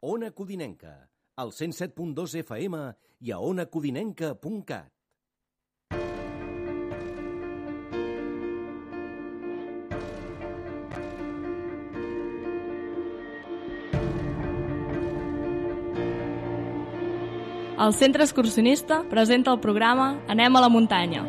Ona Codinenca, al 107.2 FM i a onacodinenca.cat. El Centre Excursionista presenta el programa Anem a la muntanya.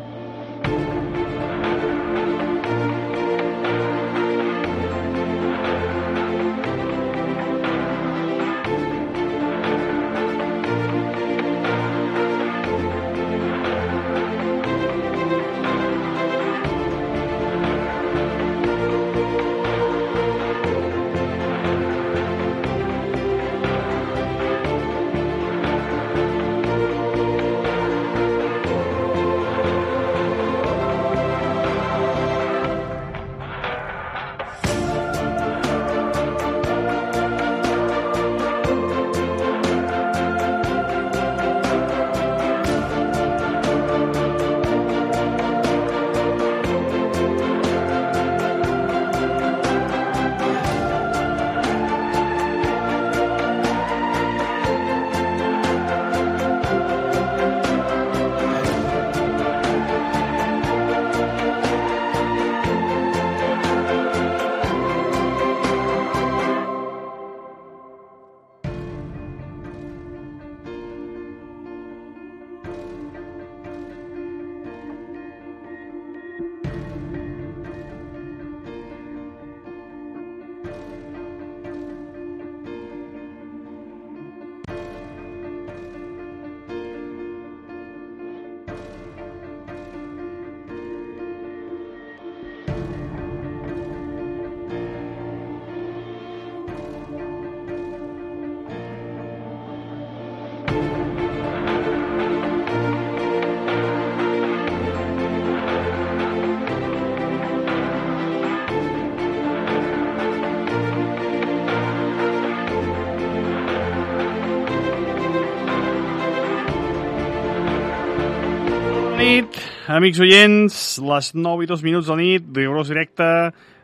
Amics oients, les 9:02 de la nit, rigorós directe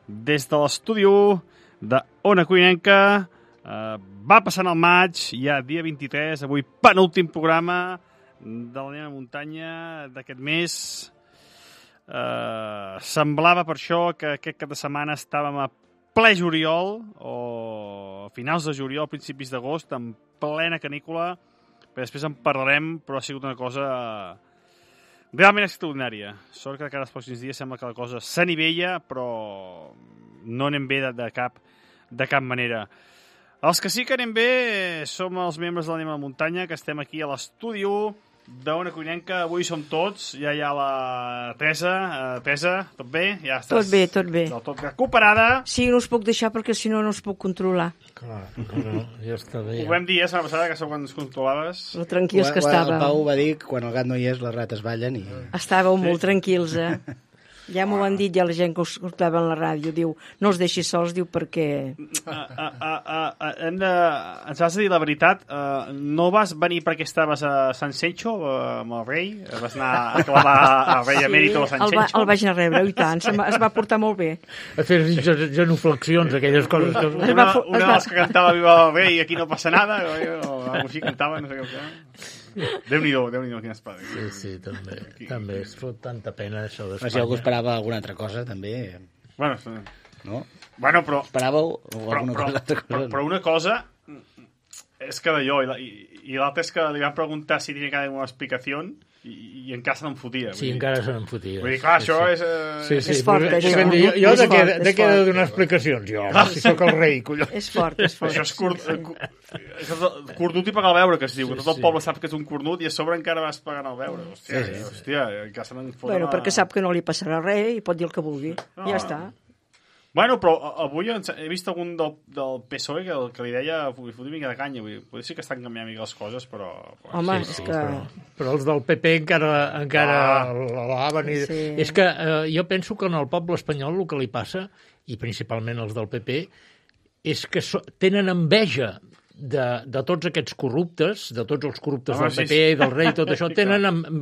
des de l'estudi de Ona Codinenca. Va passant el maig, ja dia 23, avui penúltim programa de la Anem a muntanya d'aquest mes. Semblava per això que aquest cap de setmana estàvem a ple juliol, o a finals de juliol, principis d'agost, en plena canícula, però després en parlarem, però ha sigut una cosa realment extraordinària. Sort que cada els pròxims dies sembla que la cosa s'anivella, però no anem bé de cap manera. Els que sí que anem bé som els membres de l'Anem a la muntanya, que estem aquí a l'estudi d'Ona Codinenca. Avui som tots, ja hi ha la Teresa. Teresa, tot bé? Ja estàs tot bé. Del tot recuperada. Sí, no us puc deixar perquè si no no us puc controlar. Clar, ja està bé. Ho vam dir la setmana passada, que sóc quan ens controlaves. Lo tranquils que estàveu. El Pau va dir que quan el gat no hi és, les rates ballen. Estàveu molt tranquils, eh? Ja m'ho han dit ja la gent que us escoltava en la ràdio. Diu, no els deixis sols, diu, perquè... Ens has de dir la veritat. No vas venir perquè estaves a Sant Sencho amb el rei? Vas anar a clavar el rei emèrito a Sant Sencho? El vaig anar a rebre, i tant. Es va portar molt bé. A fer genuflexions, aquelles coses. Una de les que cantava Viva el rei, aquí no passa nada, o algo així cantava, no sé què. Déu-n'hi-do, quin espai. Sí, també. Es fot tanta pena, això d'Espanya. Si algú esperava alguna altra cosa, també... Bueno, no? Bueno, però... Esperàveu alguna cosa? Però una cosa és que d'allò, i l'altra és que li van preguntar si tenia cada una explicació i encara se n'en fotia. Sí, encara se n'en fotia. Vull dir, clar, això és... És fort, això. Jo de què he de donar explicacions? Jo, si sóc el rei, collons. És fort. Això és cornut i pagar el beure, que es diu. Tot el poble sap que és un cornut i a sobre encara vas pagant el beure. Hòstia, encara se n'en foten... Bueno, perquè sap que no li passarà res i pot dir el que vulgui. Ja està. Bueno, però avui he vist algun del PSOE que li deia fotre una mica de canya. Potser sí que estan canviant mica les coses, però... Home, és que... Però els del PP encara l'alaven. És que jo penso que en el poble espanyol el que li passa, i principalment els del PP, és que tenen enveja de tots aquests corruptes, de tots els corruptes del sí, PP i del rei i tot això,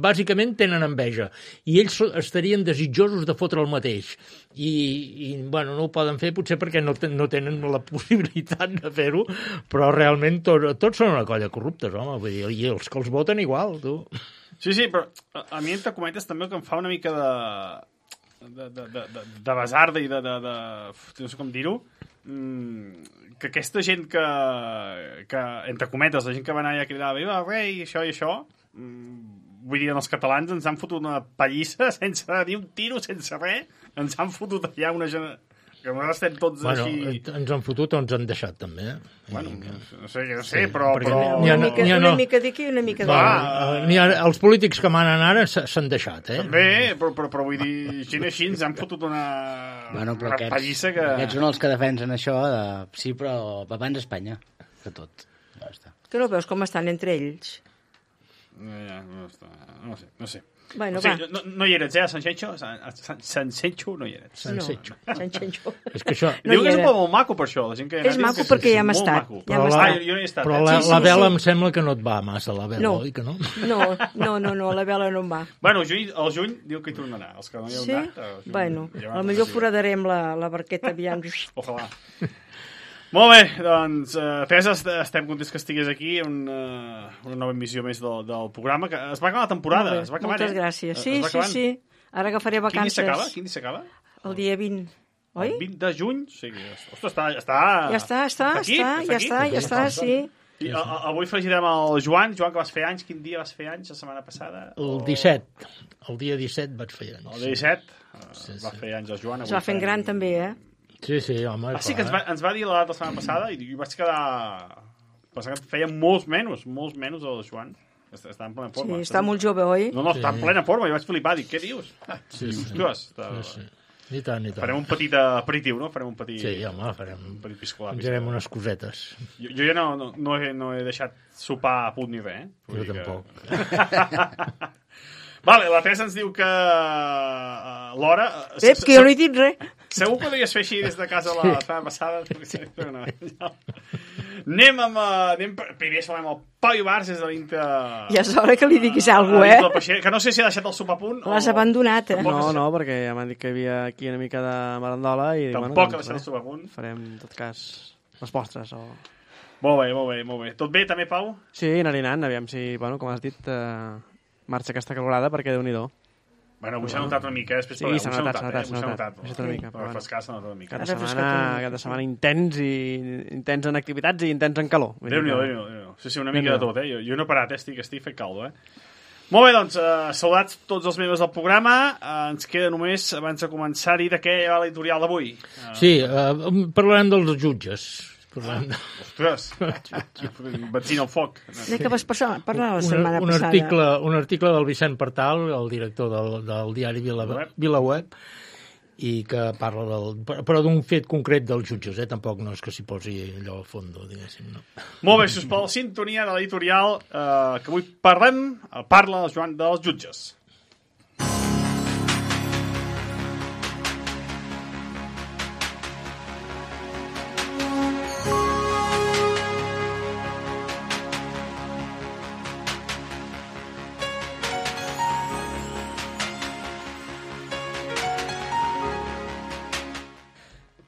bàsicament tenen enveja. I ells estarien desitjosos de fotre el mateix. I bueno, no ho poden fer potser perquè no tenen la possibilitat de fer-ho, però realment tots són una colla de corruptes, home, vull dir, i els que els voten igual, tu. Sí, però a mi entre cometes també el que em fa una mica de basarda i no sé com dir-ho, que aquesta gent que entre cometes, la gent que va anar allà a cridar viva el rei, això i això, vull dir, els catalans ens han fotut una pallissa sense ni un tiro, sense res, ens han fotut allà una gent que nosaltres estem tots així... Ens han fotut o ens han deixat, també. Bueno, no sé, però... Una mica d'aquí i una mica d'allà. Els polítics que manen ara s'han deixat, També, però vull dir, gent així ens han fotut una pallissa que... Aquests són els que defensen això de... Sí, però abans Espanya, de tot. Ja està. Que no veus com estan entre ells? No sé. Bueno, o sigui, no hi eres, a Sanxenxo no hi eres. Sanxenxo. És que això... Diu que és un poble molt maco per això. La gent que és maco perquè ja hem estat. Jo no he estat. Però la vela em sembla que no et va massa, la vela, oi que no? No, la vela no em va. Bueno, al juny diu que hi tornarà. Els que no hi heu anat... Bueno, potser foradarem la barqueta, aviam. Ojalà. Molt bé, doncs, Teresa, estem contents que estigués aquí, una nova emissió més del programa, que es va acabar la temporada, es va acabar, moltes gràcies. Sí. Ara agafaré vacances. Quin dia s'acaba? El dia 20, oi? El 20 de juny? Sí, ostres, Ja està, sí. I avui felicitem el Joan, que vas fer anys. Quin dia vas fer anys la setmana passada? El 17. El dia 17 vaig fer anys. El dia 17 va fer anys el Joan. Es va fent gran també, Sí, home. Sí, que ens va dir la data la setmana passada i vaig quedar... Pensava que feia molts menys el Joan. Està en plena forma. Sí, està molt jove, oi? No, està en plena forma. I vaig flipar. Dic, què dius? Sí. I tant. Farem un petit aperitiu, no? Sí, home, farem un petit piscolà. Farem unes cosetes. Jo ja no he deixat sopar a punt ni res, Jo tampoc. Vale, la Teresa ens diu que l'hora... que jo no he dit res. Segur que ho deies fer així des de casa la setmana passada. Anem primer saludem el Pau Ibarz des de l'Inter... Ja és hora que li diguis alguna cosa, Que no sé si ha deixat el sopar a punt l'has abandonat, No, perquè ja m'han dit que hi havia aquí una mica de marandola i... Tampoc ha deixat el sopar a punt. Farem, en tot cas, les postres o... Molt bé. Tot bé, també, Pau? Sí, anant, aviam si, com has dit, marxa aquesta calorada, perquè Déu-n'hi-do. Bueno, avui s'ha notat una mica, després sí, s'ha notat una mica. Refrescar s'ha notat una mica. Cada setmana intens en activitats i intens en calor. Déu-n'hi-do. Sí, una mica de tot, Jo no he parat, estic fet caldo, Molt bé, doncs, saludats tots els membres del programa. Ens queda només, abans de començar, dir de què hi ha l'editorial d'avui. Sí, parlarem dels jutges. Ostres, benzina al foc. De què vas parlar la setmana passada? Un article del Vicent Partal, el director del diari VilaWeb, i que parla però d'un fet concret dels jutges, tampoc no és que s'hi posi allò al fons, diguéssim. No. Molt bé, sisplau, sintonia de l'editorial que avui parla el Joan dels jutges.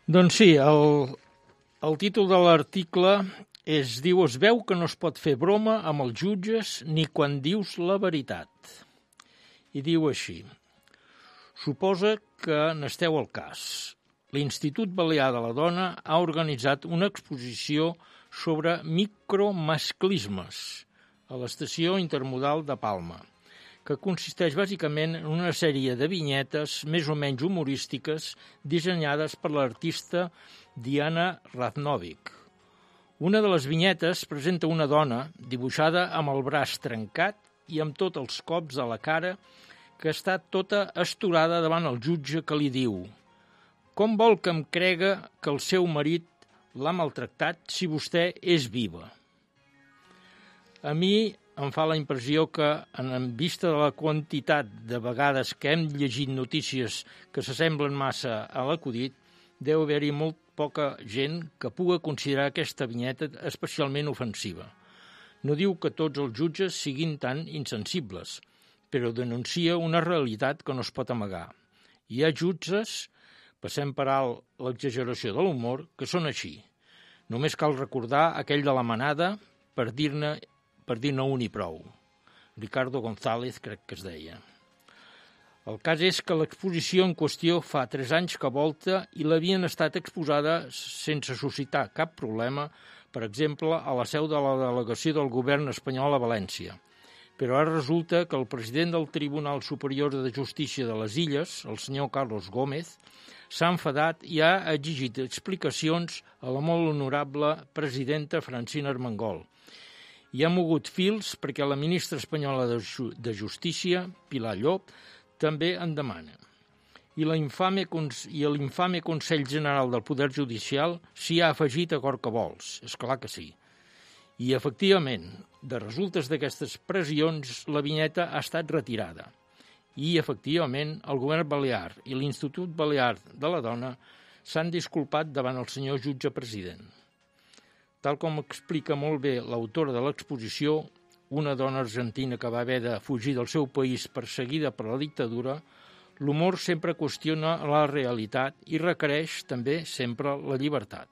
Doncs sí, el títol de l'article diu es veu que no es pot fer broma amb els jutges ni quan dius la veritat. I diu així: suposa que n'esteu al cas. L'Institut Balear de la Dona ha organitzat una exposició sobre micromasclismes a l'estació intermodal de Palma, que consisteix bàsicament en una sèrie de vinyetes més o menys humorístiques dissenyades per l'artista Diana Raznovic. Una de les vinyetes presenta una dona dibuixada amb el braç trencat i amb tots els cops a la cara, que està tota esturada davant el jutge, que li diu: com vol que em crega que el seu marit l'ha maltractat si vostè és viva? A mi em fa la impressió que, en vista de la quantitat de vegades que hem llegit notícies que s'assemblen massa a l'acudit, deu haver-hi molt poca gent que puga considerar aquesta vinyeta especialment ofensiva. No diu que tots els jutges siguin tan insensibles, però denuncia una realitat que no es pot amagar. Hi ha jutges, passem per alt l'exageració de l'humor, que són així. Només cal recordar aquell de la manada per dir-ne un i prou. Ricardo González, crec que es deia. El cas és que l'exposició en qüestió fa 3 anys que volta i l'havien estat exposada sense suscitar cap problema, per exemple, a la seu de la delegació del govern espanyol a València. Però ara resulta que el president del Tribunal Superior de Justícia de les Illes, el senyor Carlos Gómez, s'ha enfadat i ha exigit explicacions a la molt honorable presidenta Francina Armengol. I ha mogut fils perquè la ministra espanyola de Justícia, Pilar Llop, també en demana. I l'infame Consell General del Poder Judicial s'hi ha afegit a cor que vols, és clar que sí. I, efectivament, de resultes d'aquestes pressions, la vinyeta ha estat retirada. I, efectivament, el govern balear i l'Institut Balear de la Dona s'han disculpat davant el senyor jutge president. Tal com explica molt bé l'autora de l'exposició, una dona argentina que va haver de fugir del seu país perseguida per la dictadura, l'humor sempre qüestiona la realitat i requereix també sempre la llibertat.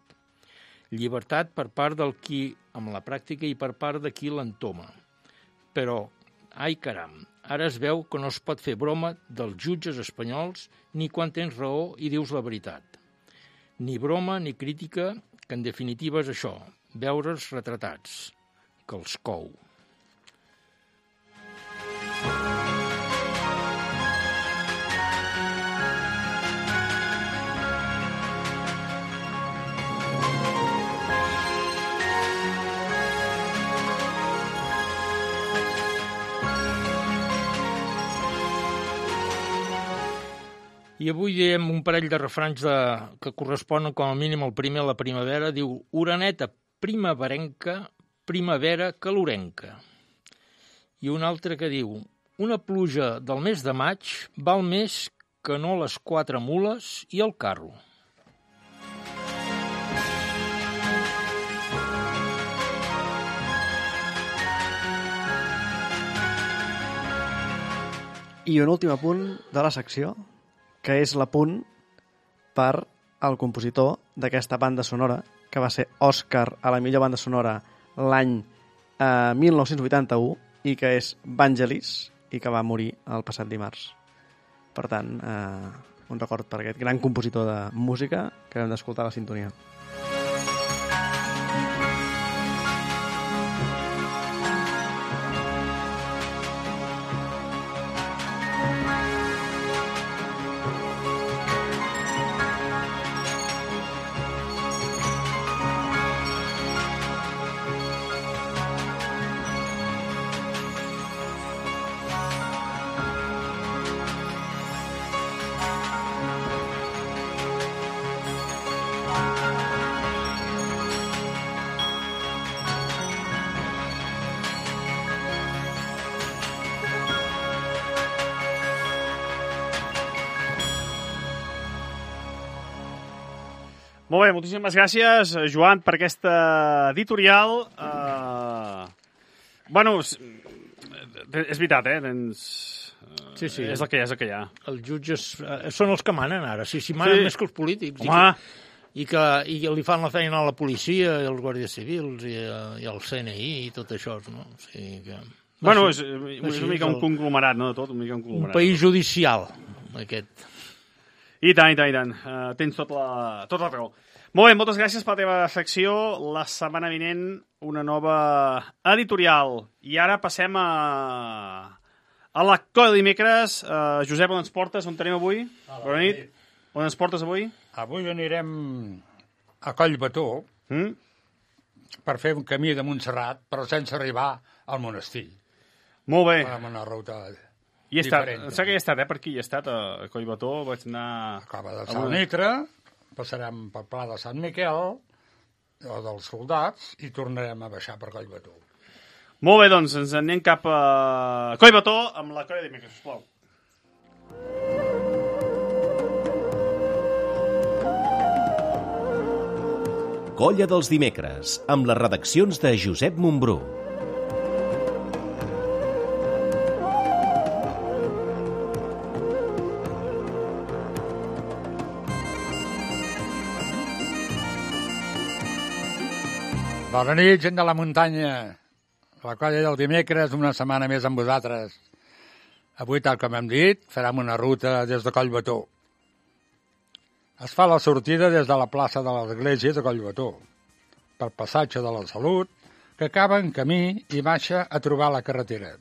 Llibertat per part del qui amb la pràctica i per part de qui l'entoma. Però, ai caram, ara es veu que no es pot fer broma dels jutges espanyols ni quan tens raó i dius la veritat. Ni broma ni crítica, que en definitiva és això, veure's retratats, que els cou. I avui diem un parell de refranys que corresponen com a mínim al primer a la primavera. Diu, oreneta primaverenca, primavera calorenca. I un altre que diu, una pluja del mes de maig val més que no les 4 mules i el carro. I un últim apunt de la secció, que és l'apunt per al compositor d'aquesta banda sonora, que va ser Òscar a la millor banda sonora l'any 1981 i que és Vangelis i que va morir el passat dimarts. Per tant, un record per aquest gran compositor de música que hem d'escoltar la sintonia. Molt bé, moltíssimes gràcies, Joan, per aquesta editorial. Bueno, és veritat, Sí. És el que hi ha, és el que hi ha. Els jutges són els que manen ara, si manen més que els polítics. Home! I li fan la feina a la policia, i als guàrdies civils, i al CNI, i tot això, no? O sigui que... Bueno, és una mica un conglomerat, no, de tot? Un país judicial, aquest. I tant. Tens tota la raó. Molt bé, moltes gràcies per la teva secció. La setmana vinent, una nova editorial. I ara passem a la Colla de dimecres. Josep, on ens portes? On tenim avui? Bona nit. On ens portes avui? Avui anirem a Collbató per fer un camí de Montserrat, però sense arribar al monestir. Molt bé. Farem una ruta I diferent. sé que hi he estat, per aquí hi he estat, a Collbató. Vaig anar... A Cova de Sant Nitre, passarem pel Pla de Sant Miquel, o dels soldats, i tornarem a baixar per Collbató. Molt bé, doncs, ens anem cap a Collbató amb la Colla de dimecres, sisplau. Colla dels dimecres, amb les redaccions de Josep Montbrú. Bona nit, gent de la muntanya. La colla del dimecres, una setmana més amb vosaltres. Avui, tal com hem dit, farem una ruta des de Collbató. Es fa la sortida des de la plaça de l'Església de Collbató, pel passatge de la Salut, que acaba en camí i baixa a trobar la carretera.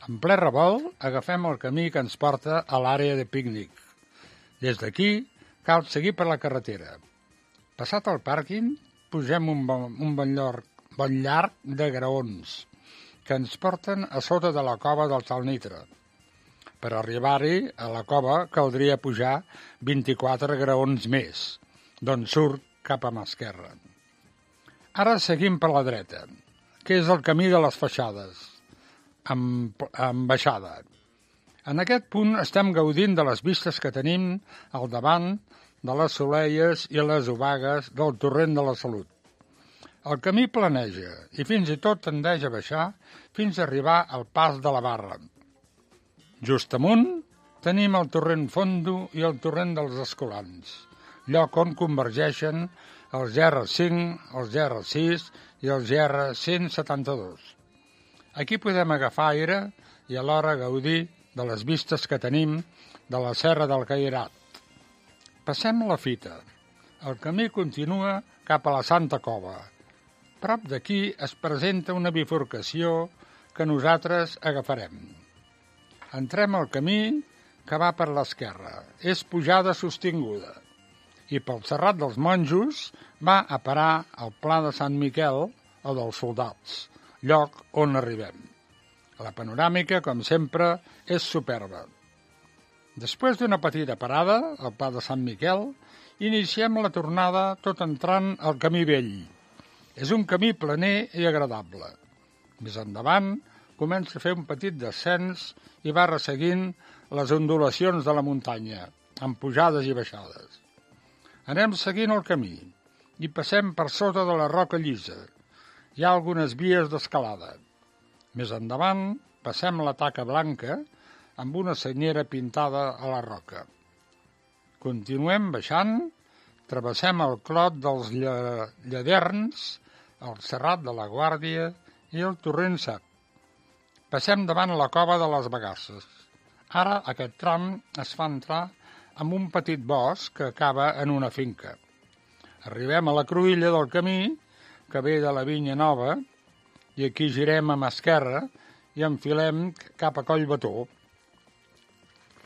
En ple revolt, agafem el camí que ens porta a l'àrea de pícnic. Des d'aquí, cal seguir per la carretera. Passat el pàrquing, pugem un bon llarg de graons que ens porten a sota de la cova del Salnitre. Per arribar-hi a la cova caldria pujar 24 graons més, d'on surt cap a mà esquerra. Ara seguim per la dreta, que és el camí de les Feixades, amb baixada. En aquest punt estem gaudint de les vistes que tenim al davant de les Soleies i les Obagues del torrent de la Salut. El camí planeja i fins i tot tendeix a baixar fins a arribar al pas de la Barra. Just amunt tenim el torrent Fondo i el torrent dels Escolans, lloc on convergeixen els GR5, els GR6 i els GR172. Aquí podem agafar aire i alhora gaudir de les vistes que tenim de la Serra del Cairat. Passem la fita. El camí continua cap a la Santa Cova. Prop d'aquí es presenta una bifurcació que nosaltres agafarem. Entrem al camí que va per l'esquerra. És pujada sostinguda. I pel Serrat dels Monjos va a parar al Pla de Sant Miquel o dels Soldats, lloc on arribem. La panoràmica, com sempre, és superba. Després d'una petita parada, al Pla de Sant Miquel, iniciem la tornada tot entrant al Camí Vell. És un camí planer i agradable. Més endavant, comença a fer un petit descens i va resseguint les ondulacions de la muntanya, amb pujades i baixades. Anem seguint el camí i passem per sota de la roca llisa. Hi ha algunes vies d'escalada. Més endavant, passem la taca blanca amb una senyera pintada a la roca. Continuem baixant, travessem el Clot dels Lladerns, el Serrat de la Guàrdia i el Torrent Sec. Passem davant la cova de les Bagasses. Ara aquest tram es fa entrar amb un petit bosc que acaba en una finca. Arribem a la cruïlla del camí, que ve de la Vinya Nova, i aquí girem a mà esquerra i enfilem cap a Collbató.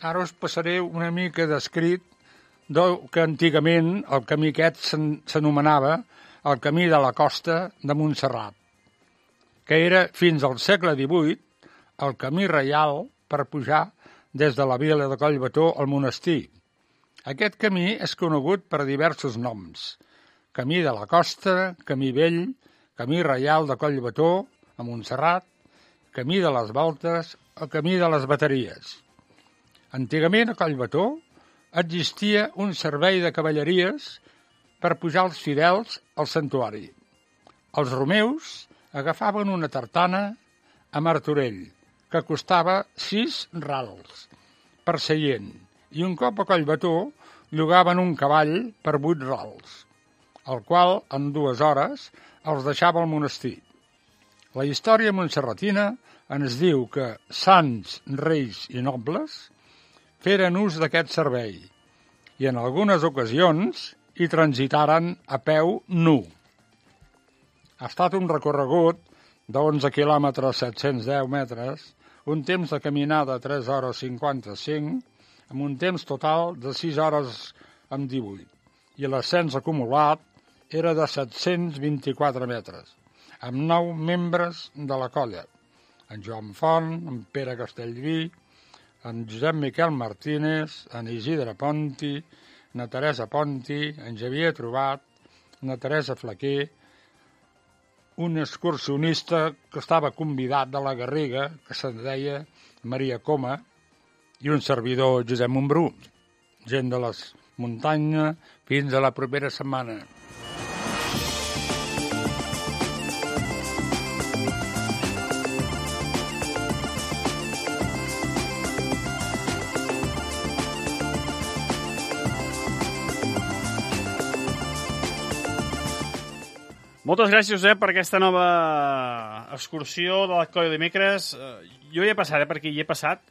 Ara us passaré una mica d'escrit que antigament el camí aquest s'anomenava el camí de la costa de Montserrat, que era fins al segle XVIII el camí reial per pujar des de la vila de Collbató al monestir. Aquest camí és conegut per diversos noms: Camí de la Costa, Camí Vell, Camí Reial de Collbató, a Montserrat, Camí de les Voltes o Camí de les Bateries. Antigament a Collbató existia un servei de cavalleries per pujar els fidels al santuari. Els romeus agafaven una tartana a Martorell, que costava 6 rals per seient, i un cop a Collbató llogaven un cavall per 8 rals, el qual en 2 hores els deixava al monestir. La història montserratina ens diu que sants, reis i nobles feren ús d'aquest servei i en algunes ocasions hi transitaren a peu nu. Ha estat un recorregut de 11 quilòmetres 710 metres, un temps de caminada 3 hores 55, amb un temps total de 6 hores amb 18, i l'ascens acumulat era de 724 metres, amb 9 membres de la colla: en Joan Font, en Pere Castellví, en Josep Miquel Martínez, en Isidre Ponti, na Teresa Ponti, en Xavier Trobat, na Teresa Flaquer, un excursionista que estava convidat de la Garriga, que se'n deia Maria Coma, i un servidor, Josep Montbrú. Gent de les muntanyes, fins a la propera setmana. Moltes gràcies, Josep, per aquesta nova excursió de la Colla de dimecres. Jo hi he passat, per aquí hi he passat.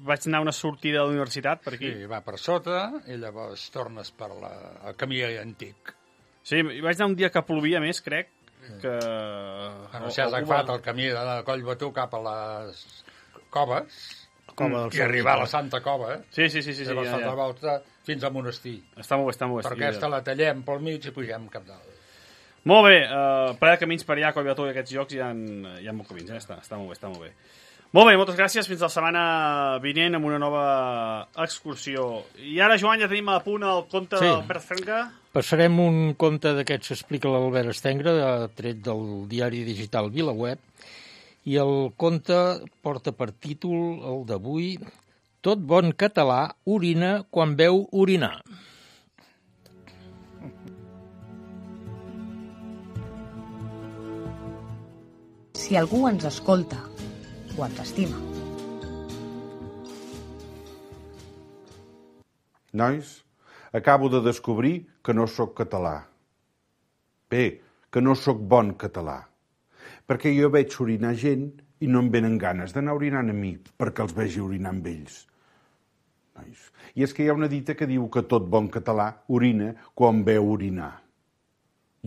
Vaig anar a una sortida de la universitat, per aquí. Sí, va per sota i llavors tornes per el camí antic. Sí, hi vaig anar un dia que plovia més, crec, que... Bueno, si has agafat el camí de Collbató cap a les coves i arribar a la Santa Cova, Sí, i vas fer la volta fins al monestir. Està molt bé. Per aquesta la tallem pel mig i pugem cap dalt. Molt bé, ple de camins per allà, Collbató i aquests llocs hi ha molts camins, està molt bé. Molt bé, moltes gràcies, fins la setmana vinent amb una nova excursió. I ara, Joan, ja tenim a punt el conte d'Albert Estenga. Passarem un conte d'aquests que explica l'Albert Estenga, tret del diari digital VilaWeb, i el conte porta per títol, el d'avui, Tot bon català orina quan veu orinar. Si algú ens escolta o ens estima. Nois, acabo de descobrir que no sóc català. Bé, que no sóc bon català. Perquè jo veig orinar gent i no em venen ganes d'anar orinant a mi perquè els vegi orinar amb ells. Nois. I és que hi ha una dita que diu que tot bon català orina quan veu orinar.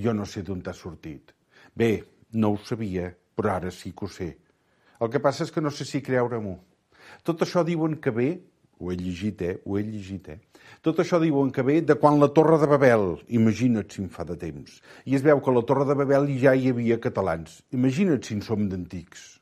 Jo no sé d'on t'ha sortit. Bé, no ho sabia, però ara sí que ho sé. El que passa és que no sé si creure-m'ho. Tot això diuen que ve, ho he llegit. Tot això diuen que ve de quan la Torre de Babel, imagina't si en fa de temps. I es veu que a la Torre de Babel ja hi havia catalans. Imagina't si en som d'antics.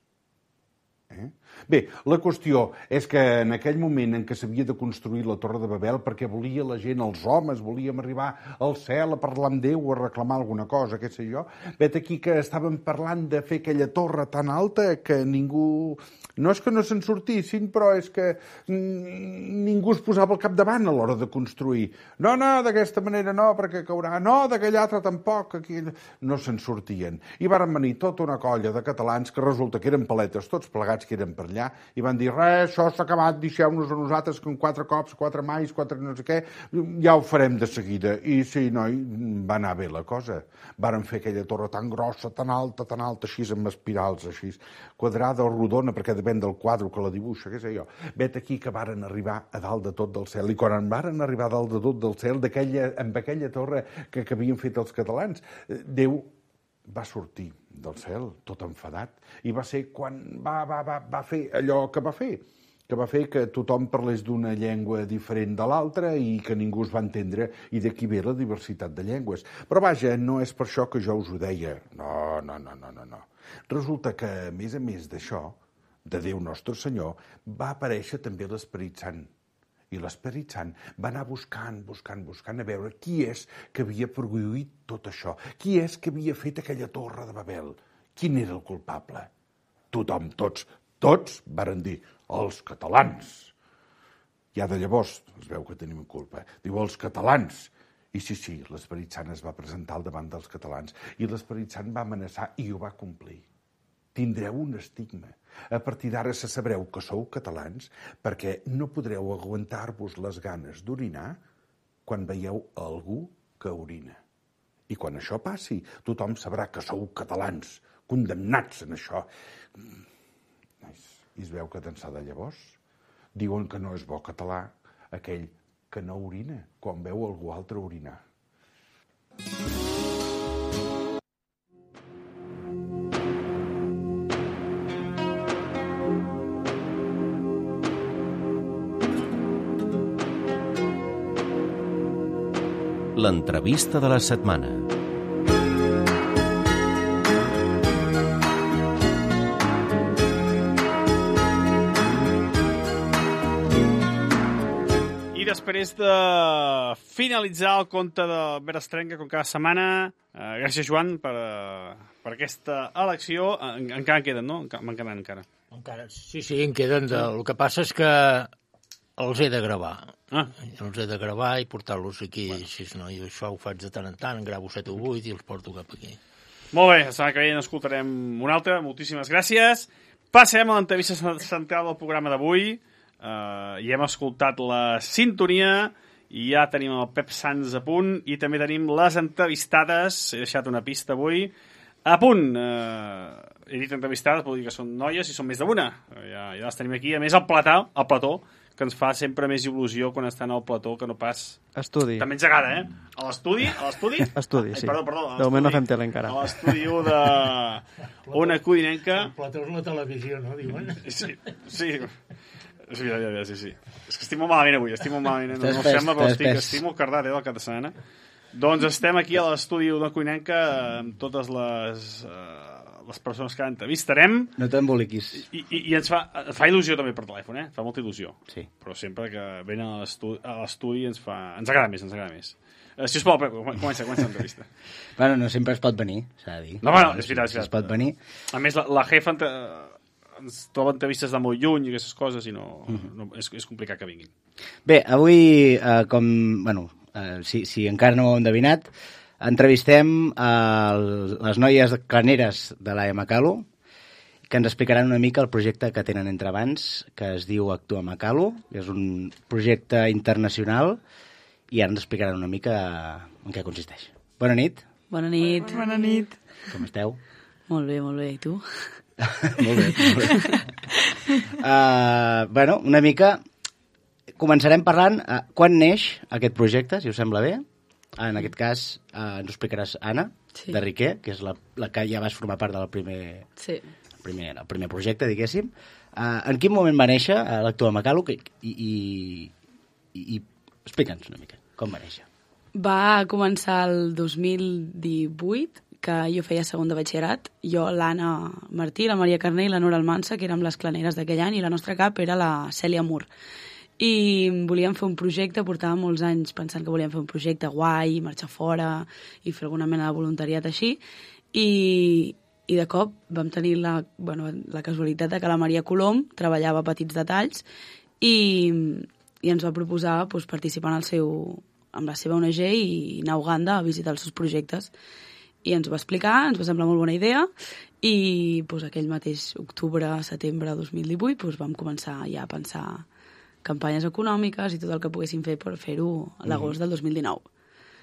Bé, la qüestió és que en aquell moment en què s'havia de construir la Torre de Babel, perquè volia la gent, els homes, volíem arribar al cel a parlar amb Déu, a reclamar alguna cosa, què sé jo, vet aquí que estaven parlant de fer aquella torre tan alta que ningú... No és que no se'n sortissin, però és que ningú es posava al capdavant a l'hora de construir. No, d'aquesta manera no, perquè caurà. No, d'aquella altra tampoc. Aquí no se'n sortien. I varen venir tota una colla de catalans que resulta que eren paletes, tots plegats que eren per allà, i van dir, res, això s'ha acabat, deixeu-nos a nosaltres que en 4 cops, 4 mais, 4 no sé què, ja ho farem de seguida. I sí, noi, va anar bé la cosa. Varen fer aquella torre tan grossa, tan alta, així amb espirals, així, quadrada o rodona, perquè depèn del quadre que la dibuixa, què sé jo. Vet aquí que varen arribar a dalt de tot del cel, i quan varen arribar a dalt de tot del cel, amb aquella torre que havien fet els catalans, Déu va sortir del cel, tot enfadat, i va ser quan va fer allò que va fer que tothom parlés d'una llengua diferent de l'altra i que ningú es va entendre, i d'aquí ve la diversitat de llengües. Però vaja, no és per això que jo us ho deia. No. Resulta que, a més d'això, de Déu Nostre Senyor, va aparèixer també l'Esperit Sant. I l'Esperit Sant va anar buscant a veure qui és que havia produït tot això, qui és que havia fet aquella torre de Babel, quin era el culpable. Tothom, tots varen dir, els catalans. Ja de llavors es veu que tenim culpa. Diu, els catalans. I sí, l'Esperit Sant es va presentar al davant dels catalans i l'Esperit Sant va amenaçar i ho va complir. Tindreu un estigma. A partir d'ara se sabreu que sou catalans perquè no podreu aguantar-vos les ganes d'orinar quan veieu algú que orina. I quan això passi, tothom sabrà que sou catalans, condemnats en això. I es veu que d'ençà de llavors diuen que no és bo català aquell que no orina quan veu algú altre orinar. L'entrevista de la setmana. I després de finalitzar el conte d'Albert Estenga, com cada setmana, gràcies, Joan, per aquesta elecció. Encara en queden, no? Me'n queden encara. Sí, en queden. El que passa és que els he de gravar. Els he de gravar i portar-los aquí. Sí, no, i això ho faig de tant en tant, en gravo 7 o 8 i els porto cap aquí. Molt bé, la setmana que ve n'escoltarem una altra. Moltíssimes gràcies. Passem a l'entrevista central del programa d'avui. I hem escoltat la sintonia I ja tenim el Pep Sans a punt i també tenim les entrevistades. He deixat una pista avui. A punt! He dit entrevistades, vol dir que són noies i són més d'una. Ja les tenim aquí. A més, el plató, que ens fa sempre més il·lusió quan estan al plató que no pas... Estudi. També ens agrada, eh? A l'estudi? Estudi, sí. Perdó. De moment no fem tele encara. A l'estudi de Ona Codinenca. El plató és la televisió, no, diuen? Sí. Sí. És que estic molt malament avui, no sembla, però estic molt cardat, del cap de setmana. Doncs estem aquí a l'estudi de Codinenca amb totes les persones que entrevistarem. No t'emboliquis. I ens fa il·lusió també per telèfon, eh? Fa molta il·lusió. Sí. Però sempre que venen a l'estudi ens agrada més. Sisplau, Pep, comença l'entrevista. Bueno, no sempre es pot venir, s'ha de dir. No, bueno, és veritat. Es pot venir. A més, la jefa ens troba entrevistes de molt lluny i aquestes coses i no, és complicat que vinguin. Bé, avui, si encara no ho heu endevinat, entrevistem les noies claneres de la Macalo, que ens explicaran una mica el projecte que tenen entre mans, que es diu Actua Macalo. És un projecte internacional i ara ens explicaran una mica en què consisteix. Bona nit. Bona nit. Bona nit. Com esteu? Molt bé, i tu? Molt bé. Una mica... Començarem parlant quan neix aquest projecte, si us sembla bé. En aquest cas ens ho explicaràs, Anna, de Riquer, que és la que ja vas formar part del primer projecte, diguéssim. En quin moment va néixer l'Actua Macalo i explica'ns una mica com va néixer. Va començar el 2018, que jo feia segon de batxillerat. Jo, l'Anna Martí, la Maria Carné i la Nora Almansa, que érem les claneres d'aquell any, i la nostra cap era la Cèlia Mur. I volíem fer un projecte, portàvem molts anys pensant que volíem fer un projecte guai, marxar fora i fer alguna mena de voluntariat així, i de cop vam tenir la casualitat de que la Maria Colom treballava a Petits Detalls i ens va proposar participar amb la seva ONG i anar a Uganda a visitar els seus projectes. I ens ho va explicar, ens va semblar molt bona idea, i aquell mateix octubre-setembre de 2018 vam començar ja a pensar campanyes econòmiques i tot el que poguéssim fer per fer-ho a l'agost del 2019.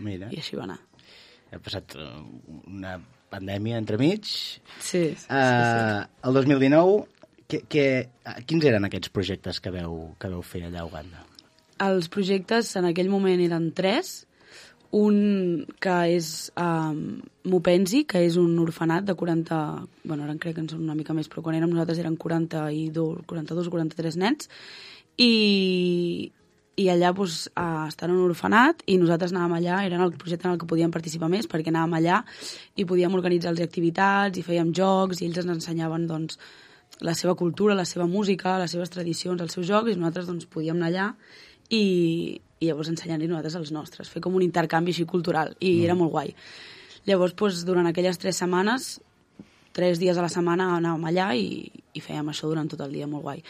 Mira. I així va anar. Ha passat una pandèmia entremig. Sí. El 2019, quins eren aquests projectes que veu fer allà a Uganda? Els projectes en aquell moment eren 3. Un que és Mupenzi, que és un orfenat de 40... ara crec que en són una mica més, però quan érem nosaltres eren 42 o 43 nens. I allà estan en un orfenat i nosaltres anàvem allà, era el projecte en el que podíem participar més, perquè anàvem allà i podíem organitzar-los activitats i fèiem jocs i ells ens ensenyaven la seva cultura, la seva música, les seves tradicions, els seus jocs, i nosaltres podíem anar allà i llavors ensenyar-li nosaltres els nostres, fer com un intercanvi així cultural, i era molt guai. Llavors, durant aquelles 3 setmanes, 3 dies a la setmana anàvem allà i fèiem això durant tot el dia, molt guai.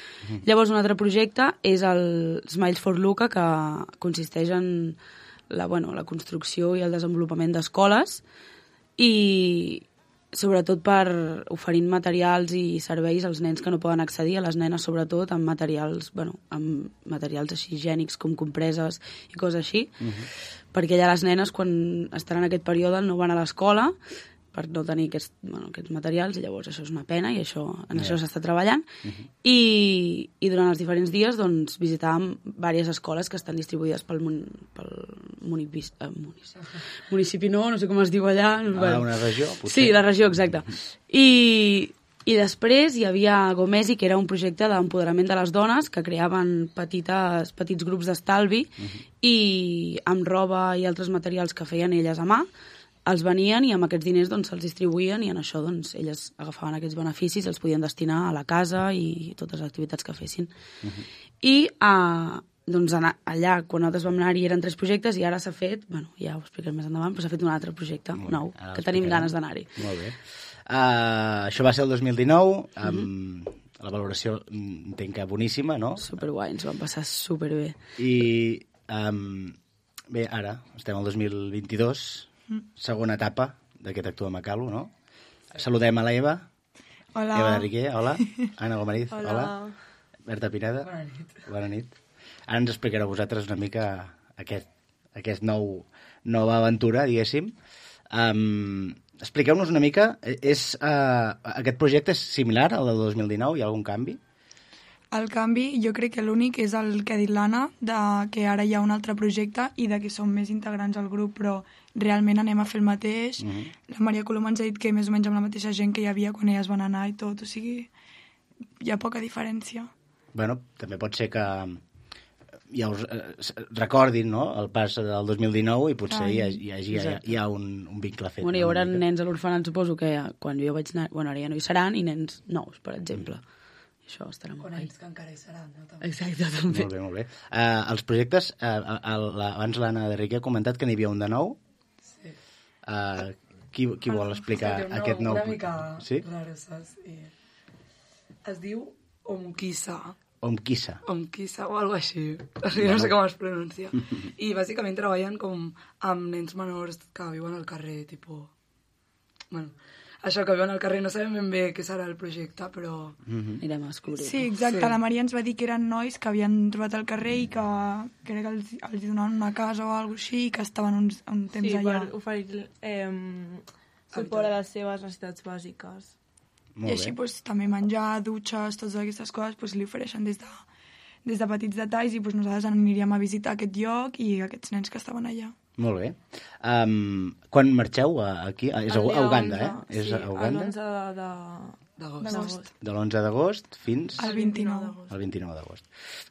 Llavors, un altre projecte és el Smiles for Luca, que consisteix en la construcció i el desenvolupament d'escoles i sobretot per oferint materials i serveis als nens que no poden accedir, a les nenes sobretot, amb materials així higiènics com compreses i coses així, perquè allà les nenes quan estan en aquest període no van a l'escola per no tenir aquests materials, i llavors això és una pena i això s'està treballant. I durant els diferents dies visitàvem diverses escoles que estan distribuïdes pel municipi, no sé com es diu allà. Una regió, potser. Sí, la regió, exacte. I després hi havia Gomesi, que era un projecte d'empoderament de les dones que creaven petits grups d'estalvi i amb roba i altres materials que feien elles a mà els venien i amb aquests diners se'ls distribuïen i en això elles agafaven aquests beneficis, els podien destinar a la casa i totes les activitats que fessin. I allà, quan nosaltres vam anar-hi, eren 3 projectes i ara s'ha fet, ja ho explicaré més endavant, però s'ha fet un altre projecte nou, que tenim ganes d'anar-hi. Molt bé. Això va ser el 2019, amb la valoració entenc que boníssima, no? Superguai, ens ho vam passar superbé. I bé, ara estem al 2022, segona etapa d'aquest Actua Macalo, no? Saludem a l'Eva. Hola. Eva de Riquer, hola. Anna Gomariz, hola. Berta Pineda. Bona nit. Ara ens explicareu vosaltres una mica aquest nova aventura, diguéssim. Expliqueu-nos una mica, aquest projecte és similar al del 2019? Hi ha algun canvi? El canvi, jo crec que l'únic és el que ha dit l'Anna, que ara hi ha un altre projecte i de que som més integrants al grup, però realment anem a fer el mateix. La Maria Coloma ens ha dit que més o menys amb la mateixa gent que hi havia quan elles van anar i tot, o sigui, hi ha poca diferència. Bueno, també pot ser que ja us recordin, no?, el pas del 2019 i potser hi ha un vincle fet. Bueno, hi haurà nens a l'orfenat, suposo que quan jo vaig anar... Bueno, ara ja no hi seran, i nens nous, per exemple. Això estarà molt bé. O nens que encara hi seran, no? També. Exacte, també. Molt bé, molt bé. Els projectes, abans l'Anna de Riquer ha comentat que n'hi havia un de nou. Sí. Qui vol explicar aquest nou? Una mica raro, saps? Es diu Omkissa. Omkissa o algo així. No sé com es pronuncia. I bàsicament treballen com amb nens menors que viuen al carrer, tipus... Bueno, això que viuen al carrer, no sabem ben bé què serà el projecte, però anirem a descobrir. Sí, exacte. La Maria ens va dir que eren nois que havien trobat al carrer i que crec que els donaven una casa o alguna cosa així i que estaven un temps allà. Sí, per oferir suport a les seves necessitats bàsiques. I així també menjar, dutxes, totes aquestes coses li ofereixen des de petits detalls i nosaltres aniríem a visitar aquest lloc i aquests nens que estaven allà. Molt bé. Quan marxeu aquí? És a Uganda, eh? Sí, l'11 d'agost. De l'11 d'agost fins... al 29. El 29 d'agost.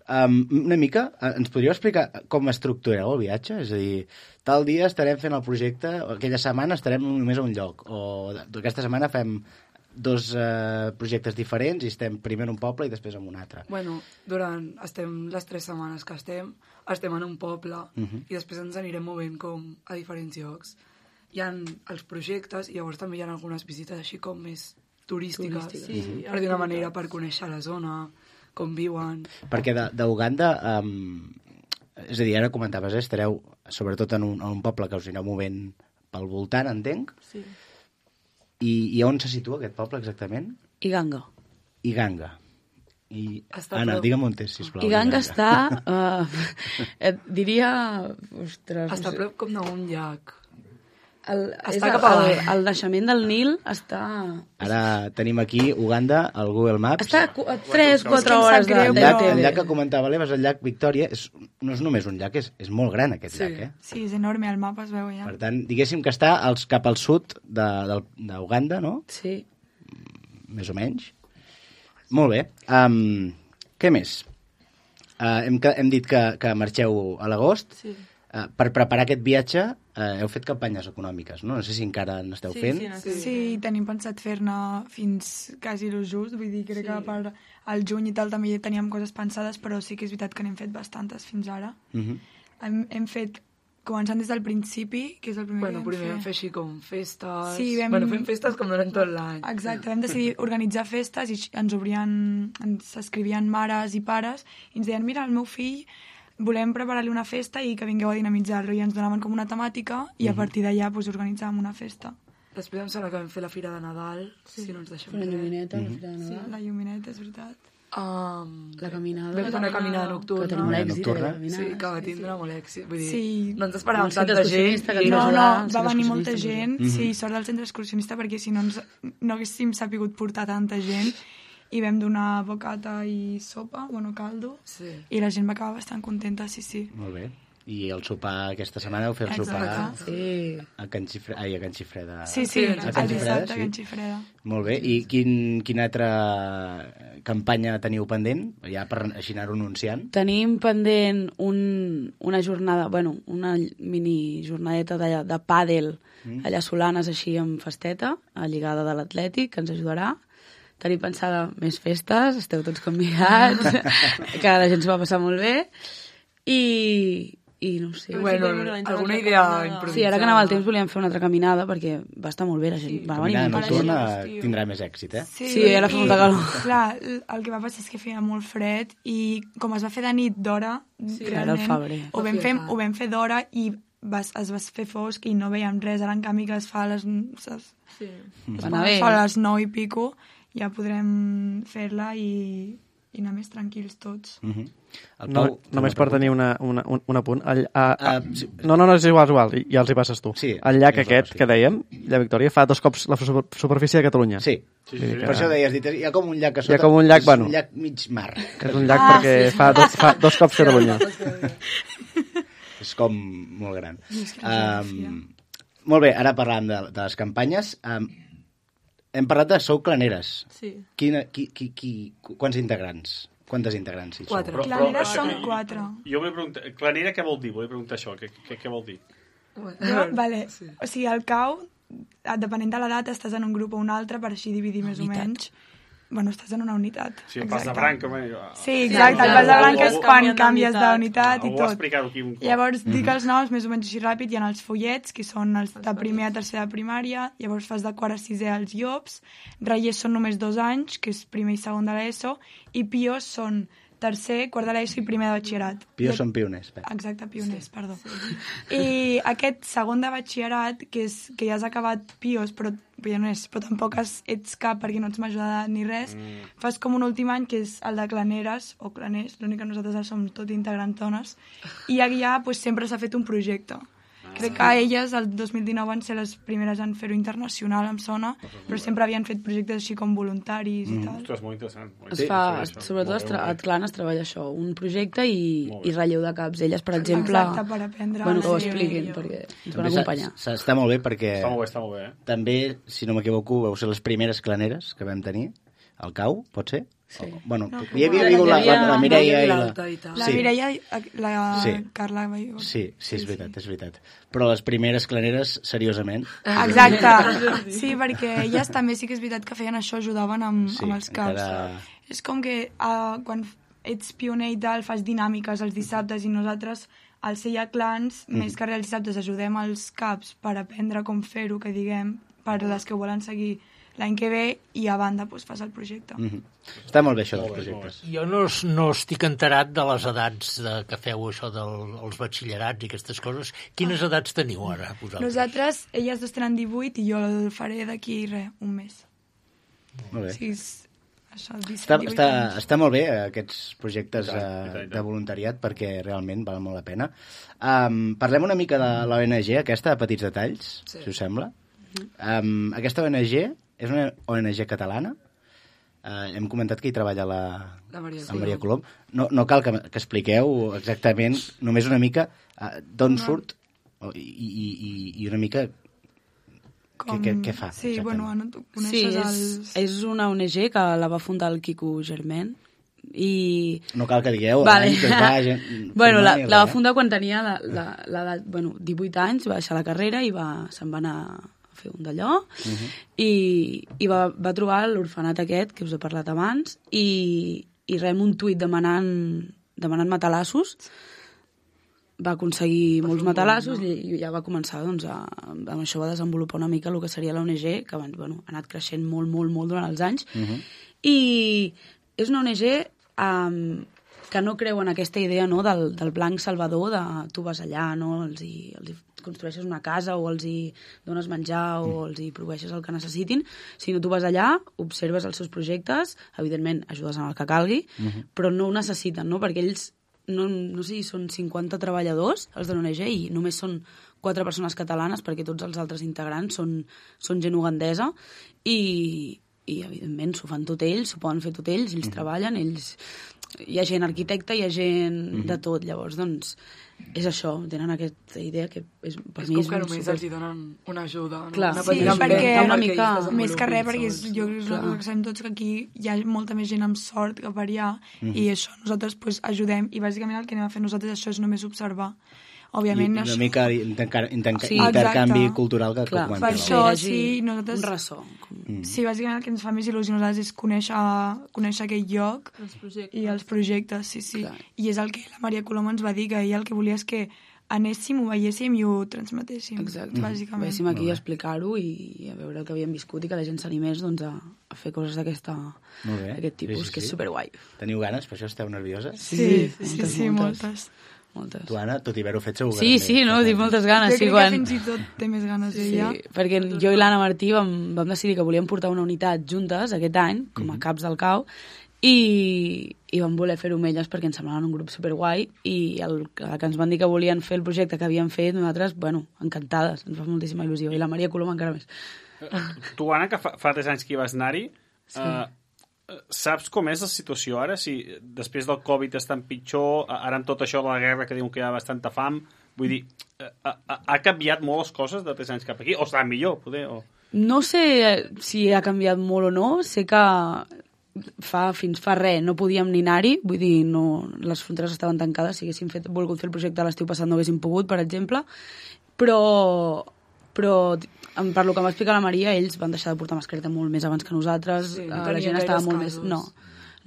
Una mica, ens podríeu explicar com estructureu el viatge? És a dir, tal dia estarem fent el projecte, aquella setmana estarem només a un lloc, o aquesta setmana fem 2 projectes diferents i estem primer en un poble i després en un altre. Bueno, estem les 3 setmanes que estem en un poble i després ens anirem movent com a diferents llocs. Hi ha els projectes i llavors també hi ha algunes visites així com més turístiques. Per dir una manera, per conèixer la zona, com viuen. Perquè d'Uganda, és a dir, ara comentaves, estareu sobretot en un poble que us anireu movent pel voltant, entenc? Sí. I on se situa aquest poble exactament? Iganga. Anna, digue'm on és, sisplau. Iganga està, diria... Ostres, està prop com d'un llac. Està cap a el naixement del Nil està... Ara tenim aquí Uganda, al Google Maps. Està a 3-4 hores de El llac que comentava l'Eva és el llac Victòria. No és només un llac, és molt gran aquest llac, eh? Sí, és enorme, al mapa es veu ja. Per tant, diguéssim que està cap al sud d'Uganda, no? Sí. Més o menys. Molt bé. Què més? Hem dit que marxeu a l'agost. Sí. Per preparar aquest viatge heu fet campanyes econòmiques, no? No sé si encara n'esteu fent. Sí, tenim pensat fer-ne fins quasi el just, vull dir, crec que per al juny i tal també teníem coses pensades, però sí que és veritat que n'hem fet bastantes fins ara. Hem fet, començant des del principi, que és el primer que vam fer. Primer vam fer així com festes... Sí, fem festes com durant tot l'any. Exacte, vam decidir organitzar festes i ens escrivien mares i pares i ens deien, mira, el meu fill volem preparar-li una festa i que vingueu a dinamitzar-lo, i ens donaven com una temàtica i a partir d'allà organitzàvem una festa. Després em sembla que vam fer la Fira de Nadal, si no ens deixem res. La llumineta, la Fira de Nadal. Sí, la llumineta, és veritat. La caminada. Vam fer una caminada nocturna. Que tenia molt èxit, la caminada. Sí, que va tindre molt èxit. Vull dir, sí. No ens esperàvem tanta gent. No, va venir molta gent. Sí, sort del centre excursionista, perquè si no no haguéssim sapigut portar tanta gent. I vam donar bocata i sopa, caldo, i la gent va acabar bastant contenta, sí. Molt bé. I el sopar aquesta setmana heu fet el sopar a Can Xifreda. Sí, el dissabte a Can Xifreda. Molt bé. I quina altra campanya teniu pendent? Ja per així anar-ho anunciant. Tenim pendent una jornada, una mini jornadeta de pàdel allà Solanes, així amb festeta, a lligada de l'Atlètic, que ens ajudarà. Tenim pensada més festes, esteu tots convidats, que la gent s'ho va passar molt bé, i no sé. Alguna idea improvisada. Sí, ara que anava el temps volíem fer una altra caminada, perquè va estar molt bé, la gent va venir. Caminada nocturna tindrà més èxit, eh? Sí, ara fa molta calor. Clar, el que va passar és que feia molt fred, i com es va fer de nit d'hora, realment, ho vam fer d'hora i es va fer fosc i no veiem res, ara en canvi que es fa a les 9 i pico, ja podrem fer-la i i anar més tranquils tots. Només per tenir un apunt. No, és igual, ja els hi passes tu. El llac aquest que dèiem, la Victòria, fa 2 cops la superfície de Catalunya. Sí. Per això deies, hi ha com un llac a sota. Hi ha com un llac, és un llac mig mar. És un llac perquè fa 2 cops Catalunya. És com molt gran. Molt bé, ara parlàvem de les campanyes. Hem parlat de Sou Claneres. Sí. Quants integrants? Quantes integrants? 4. Claneres són 4. Jo vull preguntar, Clanera què vol dir? Vull preguntar això, què vol dir? Vale. O sigui, al CAU, depenent de l'edat, estàs en un grup o un altre, per així dividir més o menys. Bueno, estàs en una unitat. Sí, el pas de branca. Sí, exacte, el pas de branca és quan canvies d'unitat i tot. tot. Explicar-ho aquí un cop. Llavors, dic els noms més o menys així ràpid. Hi ha els follets, que són els de primer a tercer de primària. Llavors fas de quart a sisè als llops. Reiers són només 2 anys, que és primer i segon de l'ESO. I pios són tercer, quart de l'ESO i primer de batxillerat. Pios són pioners. Exacte, pioners, perdó. I aquest segon de batxillerat, que ja has acabat pios, però tampoc ets cap perquè no ets major d'edat ni res, fas com un últim any, que és el de claneres, o claners, l'únic que nosaltres som tot integrantones, i allà sempre s'ha fet un projecte. Crec que elles, el 2019, van ser les primeres en fer-ho internacional, em sona, però sempre havien fet projectes així com voluntaris i tal. Ostres, molt interessant. Sobretot a Atclan es treballa això, un projecte i relleu de caps. Elles, per exemple... Exacte, per aprendre... Bueno, que ho expliquin, perquè ens van acompanyar. Està molt bé perquè... Està molt bé. També, si no m'equivoco, vau ser les primeres claneres que vam tenir al CAU, pot ser? Sí. Bueno, hi havia la Mireia i la... La Mireia i la Carla. Sí, és veritat. Però les primeres claneres, seriosament. Exacte. Sí, perquè elles també sí que és veritat que feien això, ajudaven amb els caps. És com que quan ets pioner i tal, fas dinàmiques els dissabtes i nosaltres, al ser ja clans, més que res els dissabtes ajudem els caps per aprendre com fer-ho, que diguem, per les que volen seguir l'any que ve, i a banda fas el projecte. Està molt bé això dels projectes. Jo no estic enterat de les edats que feu això dels batxillerats i aquestes coses. Quines edats teniu ara, vosaltres? Nosaltres, elles 2 tenen 18 i jo el faré d'aquí un mes. Molt bé. Sí, això, 17, està molt bé aquests projectes de voluntariat perquè realment val molt la pena. Parlem una mica de l'ONG aquesta, de Petits Detalls, si us sembla. Aquesta ONG és una ONG catalana. Hem comentat que hi treballa la Maria Colom. No cal que expliqueu exactament, només una mica d'on surt i una mica què fa. Sí, bueno, Anna, tu coneixes els... És una ONG que la va fundar el Quico Germain. No cal que digueu que es va... Bueno, la va fundar quan tenia l'edat, 18 anys, va deixar la carrera i se'n va anar a fer un d'allò, i va trobar l'orfenat aquest que us he parlat abans, i rem un tuit demanant matalassos. Va aconseguir molts matalassos i ja va començar, doncs, amb això va desenvolupar una mica el que seria la ONG, que abans, ha anat creixent molt, molt, molt durant els anys. I és una ONG que no creu en aquesta idea, no, del blanc salvador, de tu vas allà, no, els construeixes una casa o els hi dones menjar o els hi proveeixes el que necessitin, sinó tu vas allà, observes els seus projectes, evidentment ajudes en el que calgui, però no ho necessiten, no? Perquè ells, no sé si són 50 treballadors, els de l'ONG, i només són 4 persones catalanes, perquè tots els altres integrants són gent ugandesa, i evidentment s'ho fan tot ells, s'ho poden fer tot ells, ells treballen, hi ha gent arquitecta, hi ha gent de tot, llavors, doncs, és això, tenen aquesta idea que per mi és... com que només els hi donen una ajuda, no? Clar, sí, perquè més que res, perquè jo crec que sabem tots que aquí hi ha molta més gent amb sort que per allà, i això nosaltres ajudem, i bàsicament el que anem a fer nosaltres això és només observar. Òbviament, i una mica intercanvi cultural que comenteu. Per això, sí, nosaltres... Un ressò. Sí, bàsicament el que ens fa més il·lusió nosaltres és conèixer aquell lloc i els projectes, sí. I és el que la Maria Colom ens va dir, que ella el que volia és que anéssim, ho veiéssim i ho transmetéssim. Exacte. Bàsicament. Véssim aquí a explicar-ho i a veure el que havíem viscut i que la gent s'animés, doncs, a fer coses d'aquest tipus, que és superguai. Teniu ganes? Per això esteu nervioses? Sí, moltes. Tu, Anna, tot i haver-ho fet segur. Sí, no, tinc moltes ganes. Jo crec que fins i tot té més ganes ella. Sí, perquè jo i l'Anna Martí vam decidir que volíem portar una unitat juntes aquest any, com a caps del CAU, i vam voler fer-ho amb elles perquè ens semblaven un grup superguai i el que ens van dir que volien fer el projecte que havien fet, nosaltres, bueno, encantades, ens fa moltíssima il·lusió, i la Maria Colom encara més. Tu, Anna, que fa 3 anys que hi vas anar-hi, saps com és la situació ara? Si després del Covid està pitjor, ara amb tot això de la guerra que diuen que hi ha bastanta fam, vull dir, ha canviat molt les coses de 3 anys cap aquí? O està millor, poder? O... No sé si ha canviat molt o no, sé que fins fa res no podíem ni anar-hi, vull dir, no, les fronteres estaven tancades, si haguéssim volgut fer el projecte a l'estiu passat no haguéssim pogut, per exemple, però per lo que m'ha explicat la Maria, ells van deixar de portar mascareta molt més abans que nosaltres, la gent estava molt més...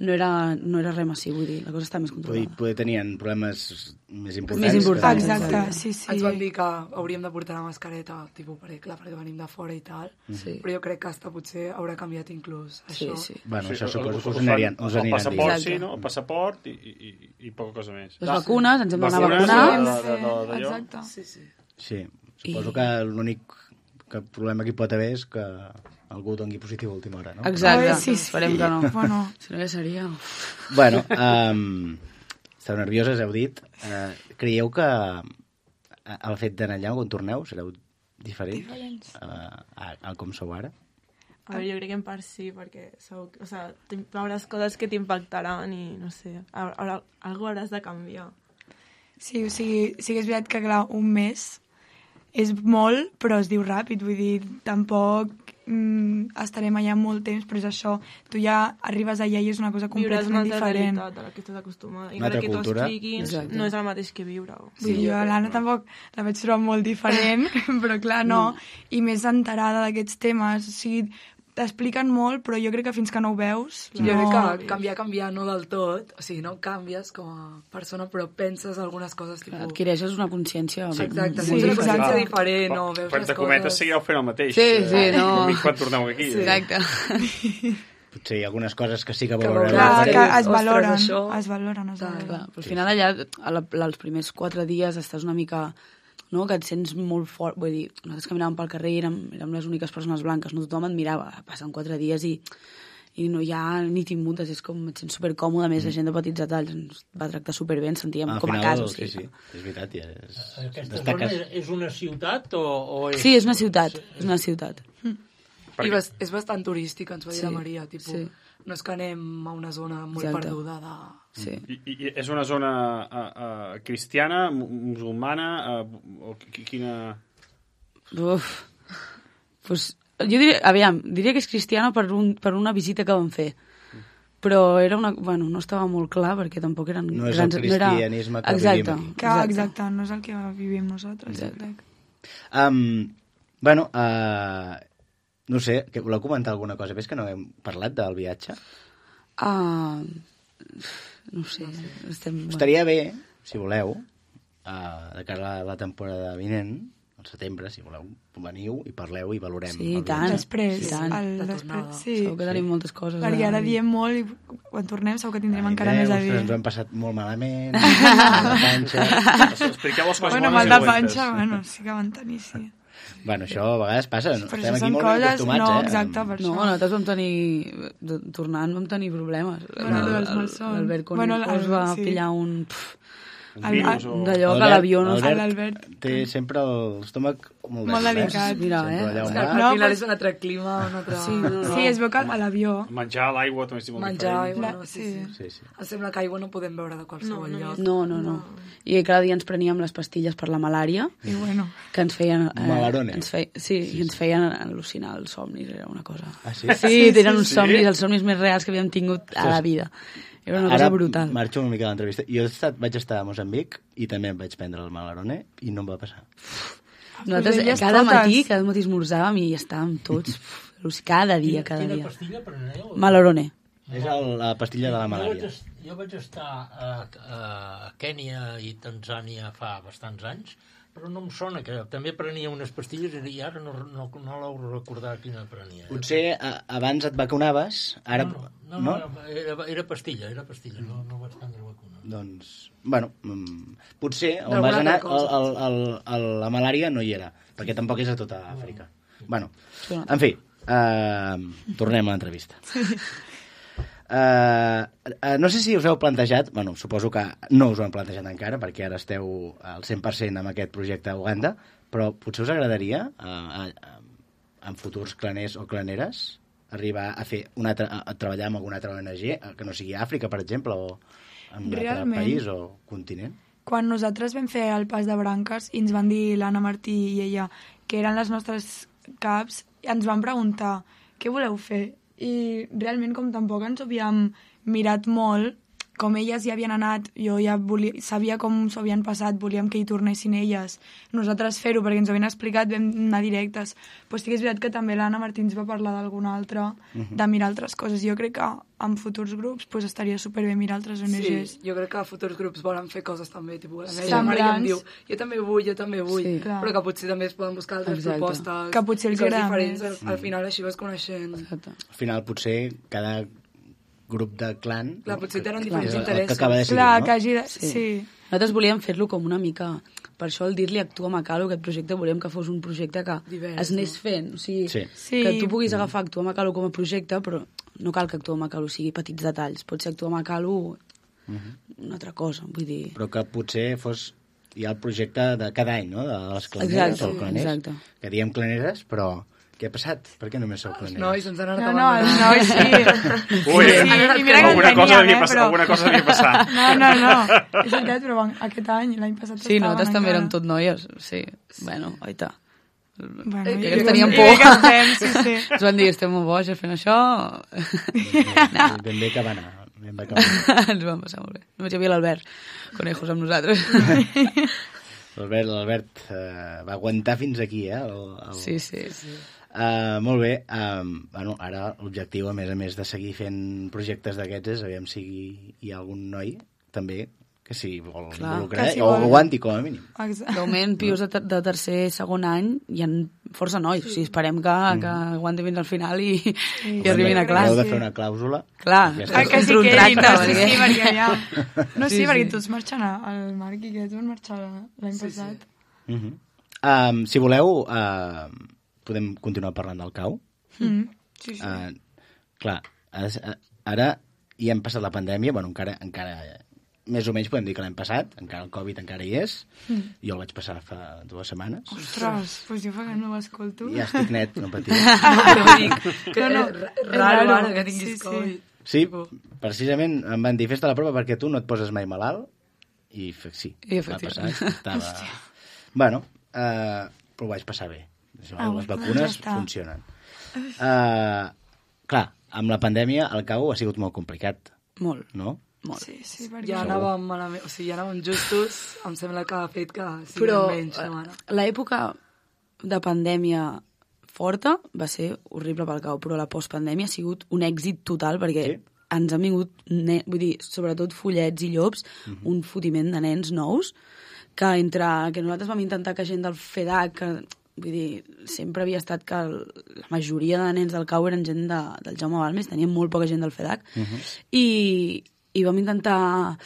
No era res massiu, vull dir, la cosa està més controlada. Poder tenien problemes més importants. Exacte, sí. Ens van dir que hauríem de portar la mascareta, tipus, perquè venim de fora i tal, però jo crec que hasta potser haurà canviat inclús això. Sí. Bueno, això suposo que us aniran el passaport, sí, no? El passaport i poca cosa més. Les vacunes, ens hem d'anar a vacunar. Exacte. Sí, suposo que l'únic problema que hi pot haver és que algú doni positiu a última hora, no? Exacte, esperem que no. Bueno, si no ja seria... Bueno, esteu nervioses, heu dit. Creieu que el fet d'anar allà quan torneu sereu diferents a com sou ara? A veure, jo crec que en part sí, perquè veuràs coses que t'impactaran i, no sé, algú hauràs de canviar. Sí, o sigui, sí que és veritat que, clar, un mes és molt, però es diu ràpid, vull dir, tampoc estarem allà molt temps, però és això, tu ja arribes allà i és una cosa completament diferent. Viuràs una altra realitat a la que estàs acostumada, i encara que t'ho expliquin, no és el mateix que viure-ho. Sí, jo a l'Anna tampoc la vaig trobar molt diferent, però clar, no, i més enterada d'aquests temes, o sigui, t'expliquen molt, però jo crec que fins que no ho veus... Jo crec que canviar no del tot, o sigui, no canvies com a persona, però penses algunes coses... Adquireixes una consciència... Exacte, tens una consciència diferent, no veus les coses... Quan te cometes seguireu fent el mateix. Sí, no... Quan torneu aquí. Exacte. Potser hi ha algunes coses que sí que valorem. Que es valoren. Al final allà, els primers 4 dies estàs una mica... no? Que et sents molt fort, vull dir, nosaltres caminàvem pel carrer i érem les úniques persones blanques, no tothom et mirava, passen 4 dies i no hi ha ni t'immuntes, és com et sents supercòmode, més la gent de petits detalls ens va tractar superbé, ens sentíem com a casa. Sí, és veritat. Aquesta zona és una ciutat o és... Sí, és una ciutat. I és bastant turística, ens va dir la Maria, tipus, no és que anem a una zona molt perduda de... Sí. I és una zona cristiana, musulmana, o quina... Pues, jo diria que és cristiana per una visita que vam fer. Però era bueno, no estava molt clar perquè tampoc eren... No és el cristianisme que vivim aquí. Exacte, no és el que vivim nosaltres, jo crec. Bueno, no sé, voleu comentar alguna cosa? Ves que no hem parlat del viatge? No sé. Estaria bé, si voleu, de cara a la temporada vinent, al setembre, si voleu, veniu i parleu i valorem. Sí, i tant. Després, segur que tenim moltes coses. Perquè ara diem molt i quan tornem segur que tindrem encara més a dir. Ens ho hem passat molt malament, la panxa... Expliqueu les coses mal de panxa, sí que van tenir, sí. Bueno, això a vegades passa, no? Estem aquí molt ben acostumats, no, exacte, per això. No, nosaltres vam tenir... Tornant vam tenir problemes. L'Albert Conejo es va pillar un d'allò que l'avió no... L'Albert té sempre l'estómac molt delicat. Mira, al final és un altre clima, un altre... Sí, es veu que a l'avió... Menjar l'aigua també és molt diferent. Menjar aigua, sí. Em sembla que aigua no podem beure de qualsevol lloc. No. I cada dia ens preníem les pastilles per la malària, que ens feien... Malarone. Sí, i ens feien al·lucinar els somnis, era una cosa... Ah, sí? Sí, tenen uns somnis, els somnis més reals que havíem tingut a la vida. Era una cosa brutal. Ara marxo una mica a l'entrevista. Jo vaig estar a Moçambic i també em vaig prendre el Malarone i no em va passar. Nosaltres cada matí esmorzàvem i estàvem tots cada dia. Quina pastilla preneu? Malarone. És la pastilla de la malària. Jo vaig estar a Kènia i Tanzània fa bastants anys, però no em sona, que també prenia unes pastilles i ara no l'heu recordat quina prenia. Potser abans et vacunaves, ara... No, era pastilla, no vaig prendre vacuna. Doncs, bueno, potser on vas anar la malària no hi era, perquè tampoc és a tota Àfrica. Bueno, en fi, tornem a l'entrevista. No sé si us heu plantejat, bueno, suposo que no us ho hem plantejat encara, perquè ara esteu al 100% amb aquest projecte a Uganda, però potser us agradaria, en futurs claners o claneres, arribar a fer a treballar amb alguna altra ONG, que no sigui Àfrica, per exemple, o en un altre país o continent? Quan nosaltres vam fer el pas de branques i ens van dir l'Anna Martí i ella que eren les nostres caps, ens van preguntar què voleu fer? I realment, com tampoc ens ho havíem mirat molt, com elles ja havien anat, jo ja sabia com s'ho havien passat, volíem que hi tornessin elles. Nosaltres fer-ho, perquè ens ho havien explicat, vam anar directes. Però sí que és veritat que també l'Anna Martí ens va parlar d'alguna altra, de mirar altres coses. Jo crec que en futurs grups estaria superbé mirar altres ONGs. Sí, jo crec que futurs grups volen fer coses també. La mare ja em diu, jo també vull, però que potser també es poden buscar altres propostes. Que potser els agrada diferents. Al final així vas coneixent. Al final potser cada grup de clan... Clar, potser tenen diferents interessos. Que acaba de decidir, clar, no? que hagi de... Sí. Nosaltres volíem fer-lo com una mica... Per això el dir-li Actua Macalo, aquest projecte, volíem que fos un projecte que es anés fent. O sigui, que tu puguis agafar Actua Macalo com a projecte, però no cal que Actua Macalo sigui petits detalls. Pot ser Actua Macalo una altra cosa, vull dir... Però que potser fos ja el projecte de cada any, no?, de les claneres o claners. Exacte. Que diem claneres, però... Què ha passat? Per què només sou claneres? Els nois ens han anat No, els nois sí. Ui, I mira que alguna cosa devia passar. No. És veritat, però aquest any, l'any passat sí, nosaltres també érem tot noies. Sí, bueno, oita. Bueno, ja que teníem por. Sí. Ens van dir, estem molt boges fent això. Ben bé que va anar. Ens vam passar molt bé. Només hi havia l'Albert Conejos amb nosaltres. L'Albert va aguantar fins aquí, Sí. Molt bé. Bueno, ara l'objectiu, a més de seguir fent projectes d'aquests, és aviam si hi ha algun noi també que s'hi vol involucrar, o aguanti com a mínim. De moment, pius de tercer, segon any, hi ha força nois. O sigui, esperem que aguanti fins al final i arribin a classe. Heu de fer una clàusula. Clar, que sí que perquè ja... No, sí, perquè tots marxen al Marc i aquests van marxar l'any passat. Si voleu, podem continuar parlant del cau. Sí. Clar, ara ja hem passat la pandèmia, bueno, encara més o menys podem dir que l'hem passat, encara el Covid encara hi és, jo el vaig passar fa 2 setmanes. Ostres, doncs jo fa que no ho escolto. Ja estic net, no patiu. Raro ara que tinguis Covid. Sí, precisament em van dir, fes-te la prova perquè tu no et poses mai malalt, i sí, va passar. Bueno, però ho vaig passar bé. Les vacunes funcionen. Clar, amb la pandèmia el cau ha sigut molt complicat. Molt. No? Molt. Sí, ja anàvem malament, o sigui, ja anàvem justos, em sembla que ha fet que però menys setmana. L'època de pandèmia forta va ser horrible pel cau, però la postpandèmia ha sigut un èxit total perquè ens han vingut, vull dir, sobretot follets i llops, un fotiment de nens nous, que entre que nosaltres vam intentar que gent del FEDAC, que vull dir, sempre havia estat que la majoria de nens del cau eren gent del Jaume Balmes, teníem molt poca gent del FEDAC, i vam intentar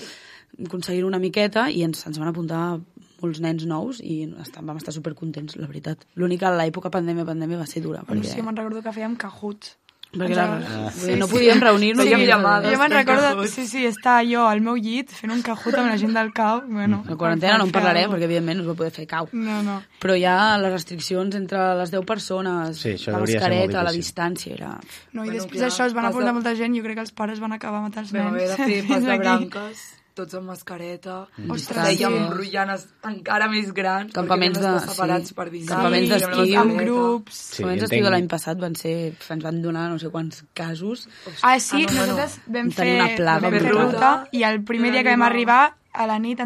aconseguir una miqueta i ens van apuntar molts nens nous i vam estar supercontents, la veritat. L'únic que l'època pandèmia va ser dura. Perquè... Sí, me'n recordo que fèiem cajuts. Perquè no podíem reunir-nos. Jo me'n recordo, estar jo al meu llit fent un cajut amb la gent del cau. Bueno, la quarantena no en parlarem, perquè evidentment no es va poder fer cau. No. Però ja les restriccions entre les 10 persones, la mascareta, la distància, era... No, i després d'això es van apuntar molta gent i jo crec que els pares van acabar matant els nens. Vam haver de fer pas de branques, tots amb mascareta. Ostres, fèiem rotllanes encara més grans, campaments perquè separats per dinar. Campaments d'estiu. Amb grups. Campaments d'estiu de l'any passat ens van donar no sé quants casos. Nosaltres vam fer ruta i el primer dia que vam arribar a la nit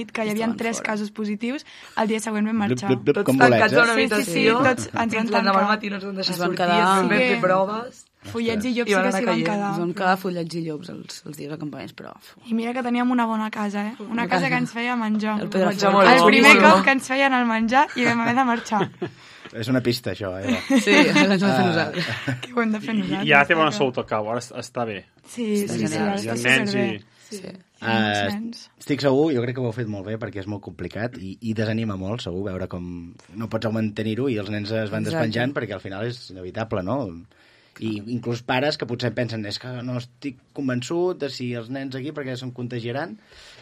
que hi havia 3 casos positius, el dia següent vam marxar. Tots tancats a una habitació, tots ens van tancar. Al matí no ens van deixar sortir, vam fer proves. Follets i llops sí que s'hi van quedar. Ens van quedar follets i llops els dies de campaments, però... I mira que teníem una bona casa, Una casa que ens feia menjar. El primer cop que ens feien el menjar i vam haver de marxar. És una pista, això, Sí, l'hem de fer nosaltres. Que ho hem de fer nosaltres. Ja té bona salut al cau, ara està bé. Sí, està superbé. Estic segur, jo crec que ho heu fet molt bé perquè és molt complicat i desanima molt, segur, veure com no pots mantenir-ho i els nens es van despenjant perquè al final és inevitable, no? I inclús pares que potser pensen és que no estic convençut de si els nens aquí perquè se'n contagiaran.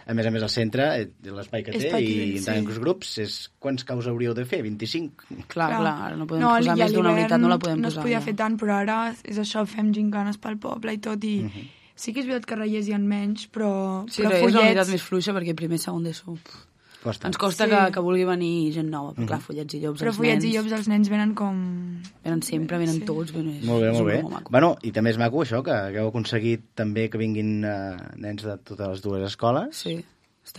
A més, el centre, l'espai que té, i en tants grups, quants caus hauríeu de fer? 25? Clar, ara no podem posar més d'una unitat, no la podem posar. No es podia fer tant, però ara és això, fem gincanes pel poble i tot, i sí que és veritat que reiers hi ha menys, però sí, però és una unitat més fluixa, perquè primer, segon d'ESO... Ens costa que vulgui venir gent nova, però clar, follets i llops, però follets i llops, els nens venen com... Venen sempre, venen tots. Molt bé. Bueno, i també és maco això, que hagueu aconseguit també que vinguin nens de totes les dues escoles. Sí.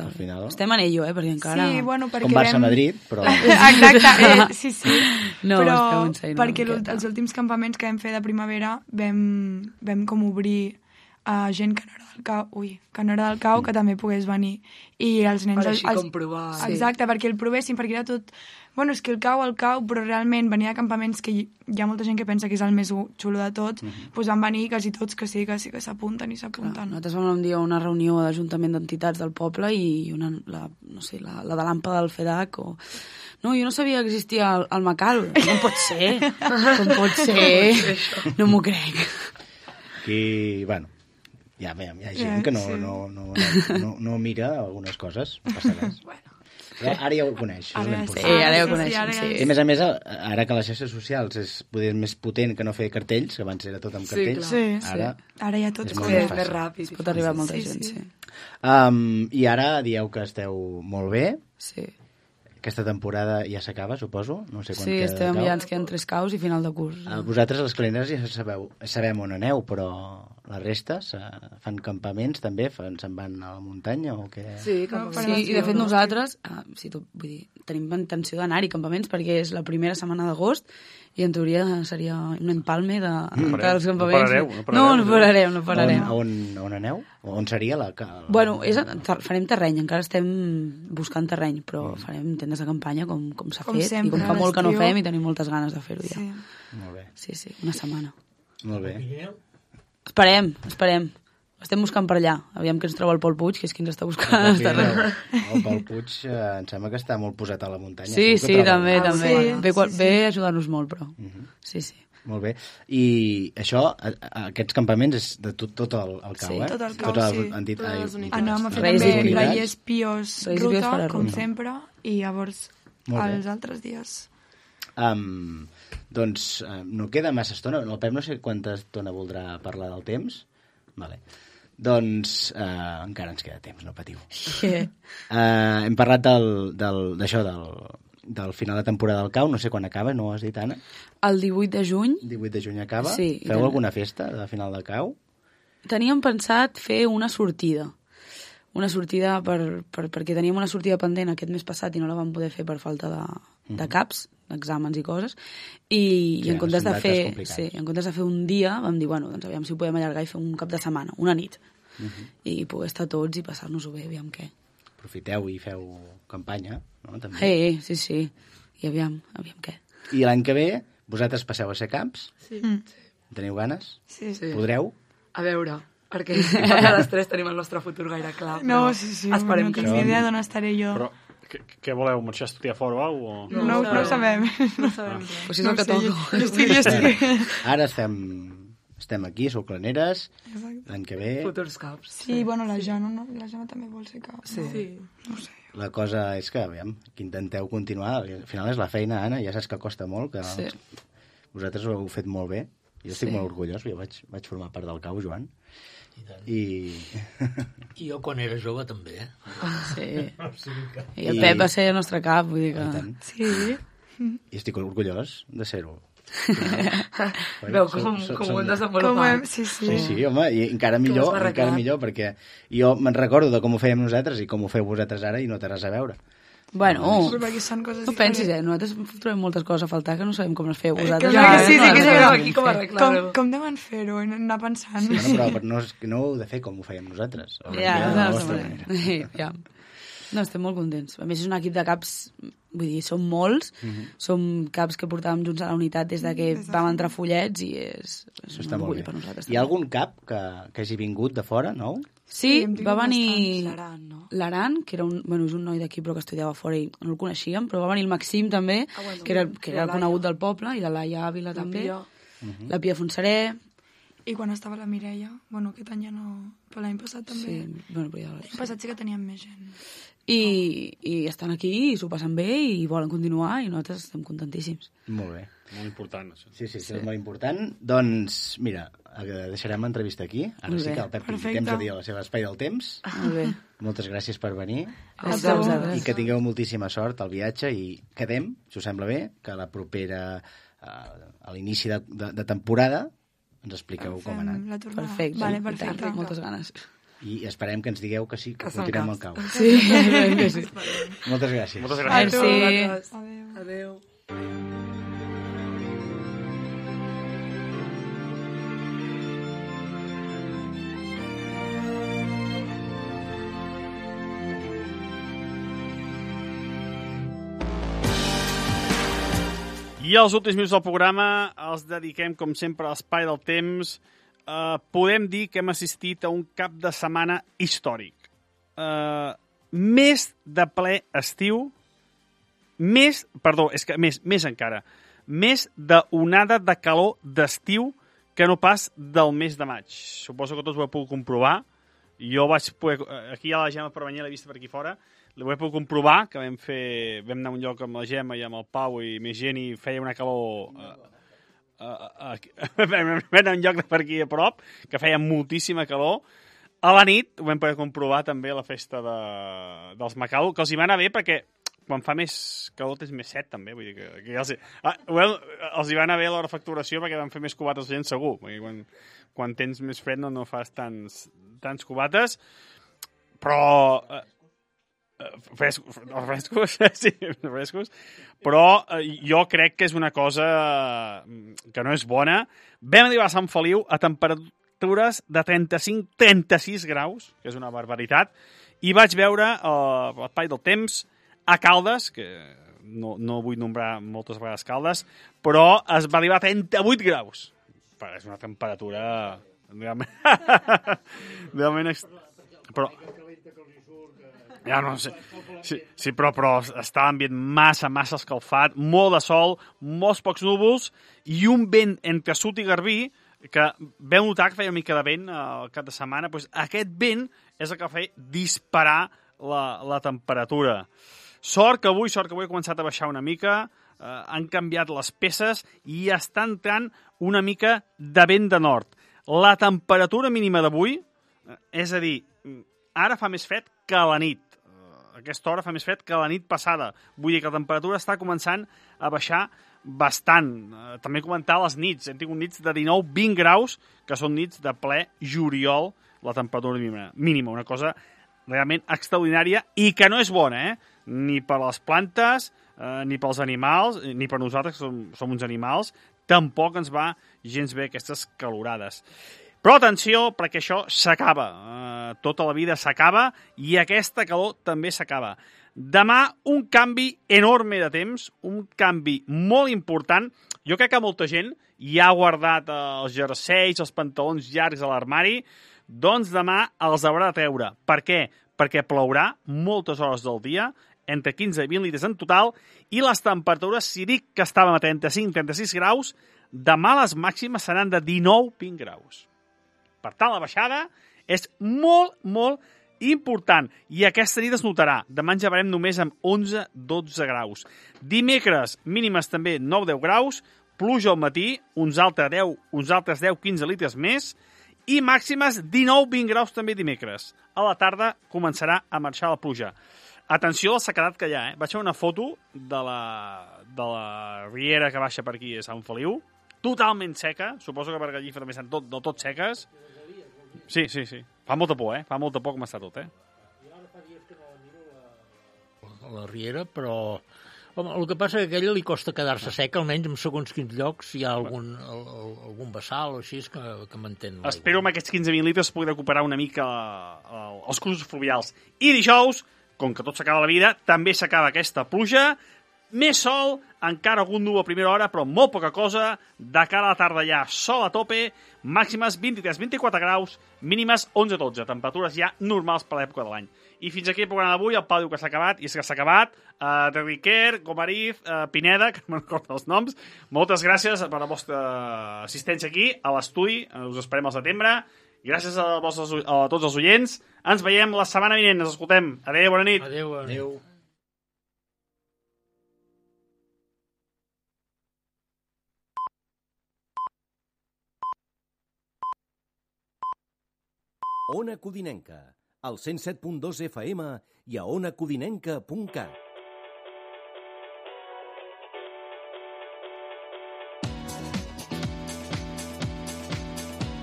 Al final... Estem en ello, perquè encara... Sí, bueno, perquè com Barça-Madrid, però... Exacte, sí. No, però perquè els últims campaments que vam fer de primavera vam com obrir a gent que no era del cau, que també pogués venir. I els nens... Per així com provar. Exacte, perquè el provessin, perquè era tot... Bueno, és que el cau, però realment venir a campaments que hi ha molta gent que pensa que és el més xulo de tots, doncs van venir quasi tots que s'apunten i s'apunten. Nosaltres vam un dia una reunió d'Ajuntament d'Entitats del poble i la de l'AMPA del FEDAC o... No, jo no sabia que existia el Macal. Com pot ser? Com pot ser? No m'ho crec. Aquí, bueno, hi ha gent que no mira algunes coses, no passa res. Però ara ja ho coneix, és l'important. Sí, ara ja ho coneixem, sí. I a més, ara que les xarxes socials és poder més potent que no fer cartells, que abans era tot amb cartells, ara ja tot és més ràpid. Pot arribar a molta gent, sí. I ara dieu que esteu molt bé. Sí. Aquesta temporada ja s'acaba, suposo? No sé quan sí, estem ja, ens queden 3 caus i final de curs. Vosaltres, les calineres, ja sabem on aneu, però la resta fan campaments també? Se'n van a la muntanya o què? Sí, i de fet nosaltres tenim intenció d'anar-hi campaments perquè és la primera setmana d'agost i en teoria seria un empalme dels campaments. No pararem. On aneu? On seria la... Bueno, farem terreny, encara estem buscant terreny, però farem tendes de campanya com s'ha fet sempre, i com fa molt que no fem i tenim moltes ganes de fer-ho ja. Molt bé. Sí, una setmana. Molt bé. Esperem. Estem buscant per allà. Aviam que ens troba el Pol Puig, que és qui ens està buscant. El Pol Puig em sembla que està molt posat a la muntanya. Sí, també. Ve a ajudar-nos molt, però. Sí. Molt bé. I això, aquests campaments és de tot el cau, Tot el cau, sí. Anàvem a fer també Reiers Pios ruta, com sempre, i llavors els altres dies... Doncs no queda massa estona. El Pep no sé quanta estona voldrà parlar del temps. Vale. Doncs encara ens queda temps, no patiu. Hem parlat d'això, del final de temporada del cau, no sé quan acaba, no ho has dit, Anna? El 18 de juny. 18 de juny acaba? Sí. Feu alguna festa de final del cau? Teníem pensat fer una sortida. Perquè teníem una sortida pendent aquest mes passat i no la vam poder fer per falta de caps, d'exàmens i coses, i en comptes de fer un dia vam dir, bueno, doncs aviam si ho podem allargar i fer un cap de setmana, una nit, i poder estar tots i passar-nos-ho bé, aviam què. Aprofiteu i feu campanya, no? També. Sí, i aviam què. I l'any que ve vosaltres passeu a ser camps? Sí. Teniu ganes? Sí. Podreu? A veure, perquè les 3 tenim el nostre futur gaire clar. No, sí. Esperem que no tinc idea d'on estaré jo. Però què voleu, marxar a estudiar fora o alguna cosa? No ho sabem. No sabem. Pues és el que toca. Jo estic. Ara estem aquí, sou claneres, l'any que ve... Futurs caps. Sí, bueno, la Jana també vol ser cap. Sí. No sé. La cosa és que, aviam, que intenteu continuar. Al final és la feina, Anna, ja saps que costa molt, que vosaltres ho heu fet molt bé. Jo estic molt orgullós, jo vaig formar part del cau, Joan. I jo quan era jove també, Sí. I el Pep va ser el nostre cap, vull dir que... Sí. I estic orgullós de ser-ho. Veu com ho hem desenvolupat. Sí, home, i encara millor, perquè jo me'n recordo de com ho fèiem nosaltres i com ho feu vosaltres ara i no té res a veure. Bueno, no pensis, nosaltres trobem moltes coses a faltar que no sabem com les feu vosaltres. Sí, que sabem aquí com arreglar-ho. Com deuen fer-ho, anar pensant. Sí, però no ho heu de fer com ho fèiem nosaltres. Ja. No, estem molt contents. A més, és un equip de caps, vull dir, som molts, som caps que portàvem junts a la unitat des de que vam entrar follets i és un orgull per nosaltres. Hi ha algun cap que hagi vingut de fora, nou? Sí, va venir l'Aran, que era és un noi d'aquí però que estudiava fora i no el coneixíem, però va venir el Maxim també, que era el conegut del poble, i la Laia Ávila també. la Pia Fonseré... I quan estava la Mireia, bueno, aquest any ja no... Però l'any passat també... Sí, bueno, però ja... L'any passat sí que teníem més gent. I estan aquí i s'ho passen bé i volen continuar i nosaltres estem contentíssims. Molt bé. Molt important, això. Sí, és molt important. Doncs, mira, deixarem l'entrevista aquí. Ara sí que el Pep té temps a dir a la seva espai del temps. Molt bé. Moltes gràcies per venir. Gràcies a vosaltres. I que tingueu moltíssima sort al viatge i quedem, si us sembla bé, que la propera, a l'inici de temporada, ens expliqueu com ha anat. Perfecte. Vale, perfecte. Moltes ganes. I esperem que ens digueu que sí, que continuem al cau. Sí, sí. Moltes gràcies. Moltes gràcies. Merci. Adéu. I els últims minuts del programa els dediquem, com sempre, a l'espai del temps. Podem dir que hem assistit a un cap de setmana històric. Més de ple estiu, més encara, més d'onada de calor d'estiu que no pas del mes de maig. Suposo que tots ho heu pogut comprovar. Jo vaig poder... Aquí hi ha la Gemma Permanyer, l'he vist per aquí fora. Ho he pogut comprovar, que vam anar a un lloc amb la Gemma i amb el Pau i més gent i feia una calor... vam anar a un lloc de per aquí a prop, que feia moltíssima calor. A la nit ho vam poder comprovar també a la festa dels Macau, que els hi va anar bé perquè quan fa més calor tens més set també, vull dir que els hi va anar bé l'hora de facturació perquè van fer més cubates la gent segur, perquè quan tens més fred no fas tants cubates, però... frescos, sí, frescos, però jo crec que és una cosa que no és bona. Vam arribar a Sant Feliu a temperatures de 35-36 graus, que és una barbaritat, i vaig veure l'espai del temps a Caldes, que no vull nombrar moltes vegades Caldes, però es va arribar a 38 graus. És una temperatura realment però ja no sé. Sí, però està l'ambient massa escalfat, molt de sol, molts pocs núvols i un vent entre Sut i Garbí que veu notar que feia una mica de vent al cap de setmana. Doncs aquest vent és el que feia disparar la temperatura. Sort que avui ha començat a baixar una mica, han canviat les peces i està entrant una mica de vent de nord. La temperatura mínima d'avui, és a dir, ara fa més fred que a la nit. Aquesta hora fa més fred que la nit passada. Vull dir que la temperatura està començant a baixar bastant. També comentar les nits. Hem tingut nits de 19-20 graus, que són nits de ple juliol, la temperatura mínima. Una cosa realment extraordinària i que no és bona, ni per les plantes, ni pels animals, ni per nosaltres, que som uns animals. Tampoc ens va gens bé aquestes calorades. Però atenció, perquè això s'acaba. Tota la vida s'acaba i aquesta calor també s'acaba. Demà un canvi enorme de temps, un canvi molt important. Jo crec que molta gent ja ha guardat els jerseis, els pantalons llargs a l'armari, doncs demà els haurà de treure. Per què? Perquè plourà moltes hores del dia, entre 15 i 20 litres en total, i les temperatures, si dic que estàvem a 35-36 graus, demà les màximes seran de 19-20 graus. Per tant, la baixada és molt, molt important. I aquesta nit es notarà. Demà ens llevarem només amb 11-12 graus. Dimecres, mínimes també 9-10 graus, pluja al matí, uns altres 10-15 litres més, i màximes 19-20 graus també dimecres. A la tarda començarà a marxar la pluja. Atenció al sequedat que hi ha, Vaig fer una foto de la riera que baixa per aquí a Sant Feliu, totalment seca, suposo que per allí també estan del tot seques. Sí. Fa molta por, Fa molta por com està tot, Jo ara fa dies que no la miro la riera, però... Home, el que passa és que a aquella li costa quedar-se seca, almenys en segons quins llocs hi ha algun vessal o així que mantén l'aigua. Espero amb aquests 15-20 litres poder recuperar una mica els cursos fluvials. I dijous, com que tot s'acaba la vida, també s'acaba aquesta pluja. Més sol, encara algun núvol a primera hora, però molt poca cosa. De cara a la tarda ja sol a tope, màximes 23-24 graus, mínimes 11-12, temperatures ja normals per l'època de l'any. I fins aquí el programa d'avui. El Pau diu que s'ha acabat, i és que s'ha acabat. De Riquer, Gomariz, Pineda, que no recordo els noms. Moltes gràcies per la vostra assistència aquí, a l'estudi. Us esperem al setembre. I gràcies a tots els oients. Ens veiem la setmana vinent. Ens escoltem. Adéu, bona nit. Adéu. Adéu. Ona Codinenca, al 107.2 FM i a onacodinenca.cat.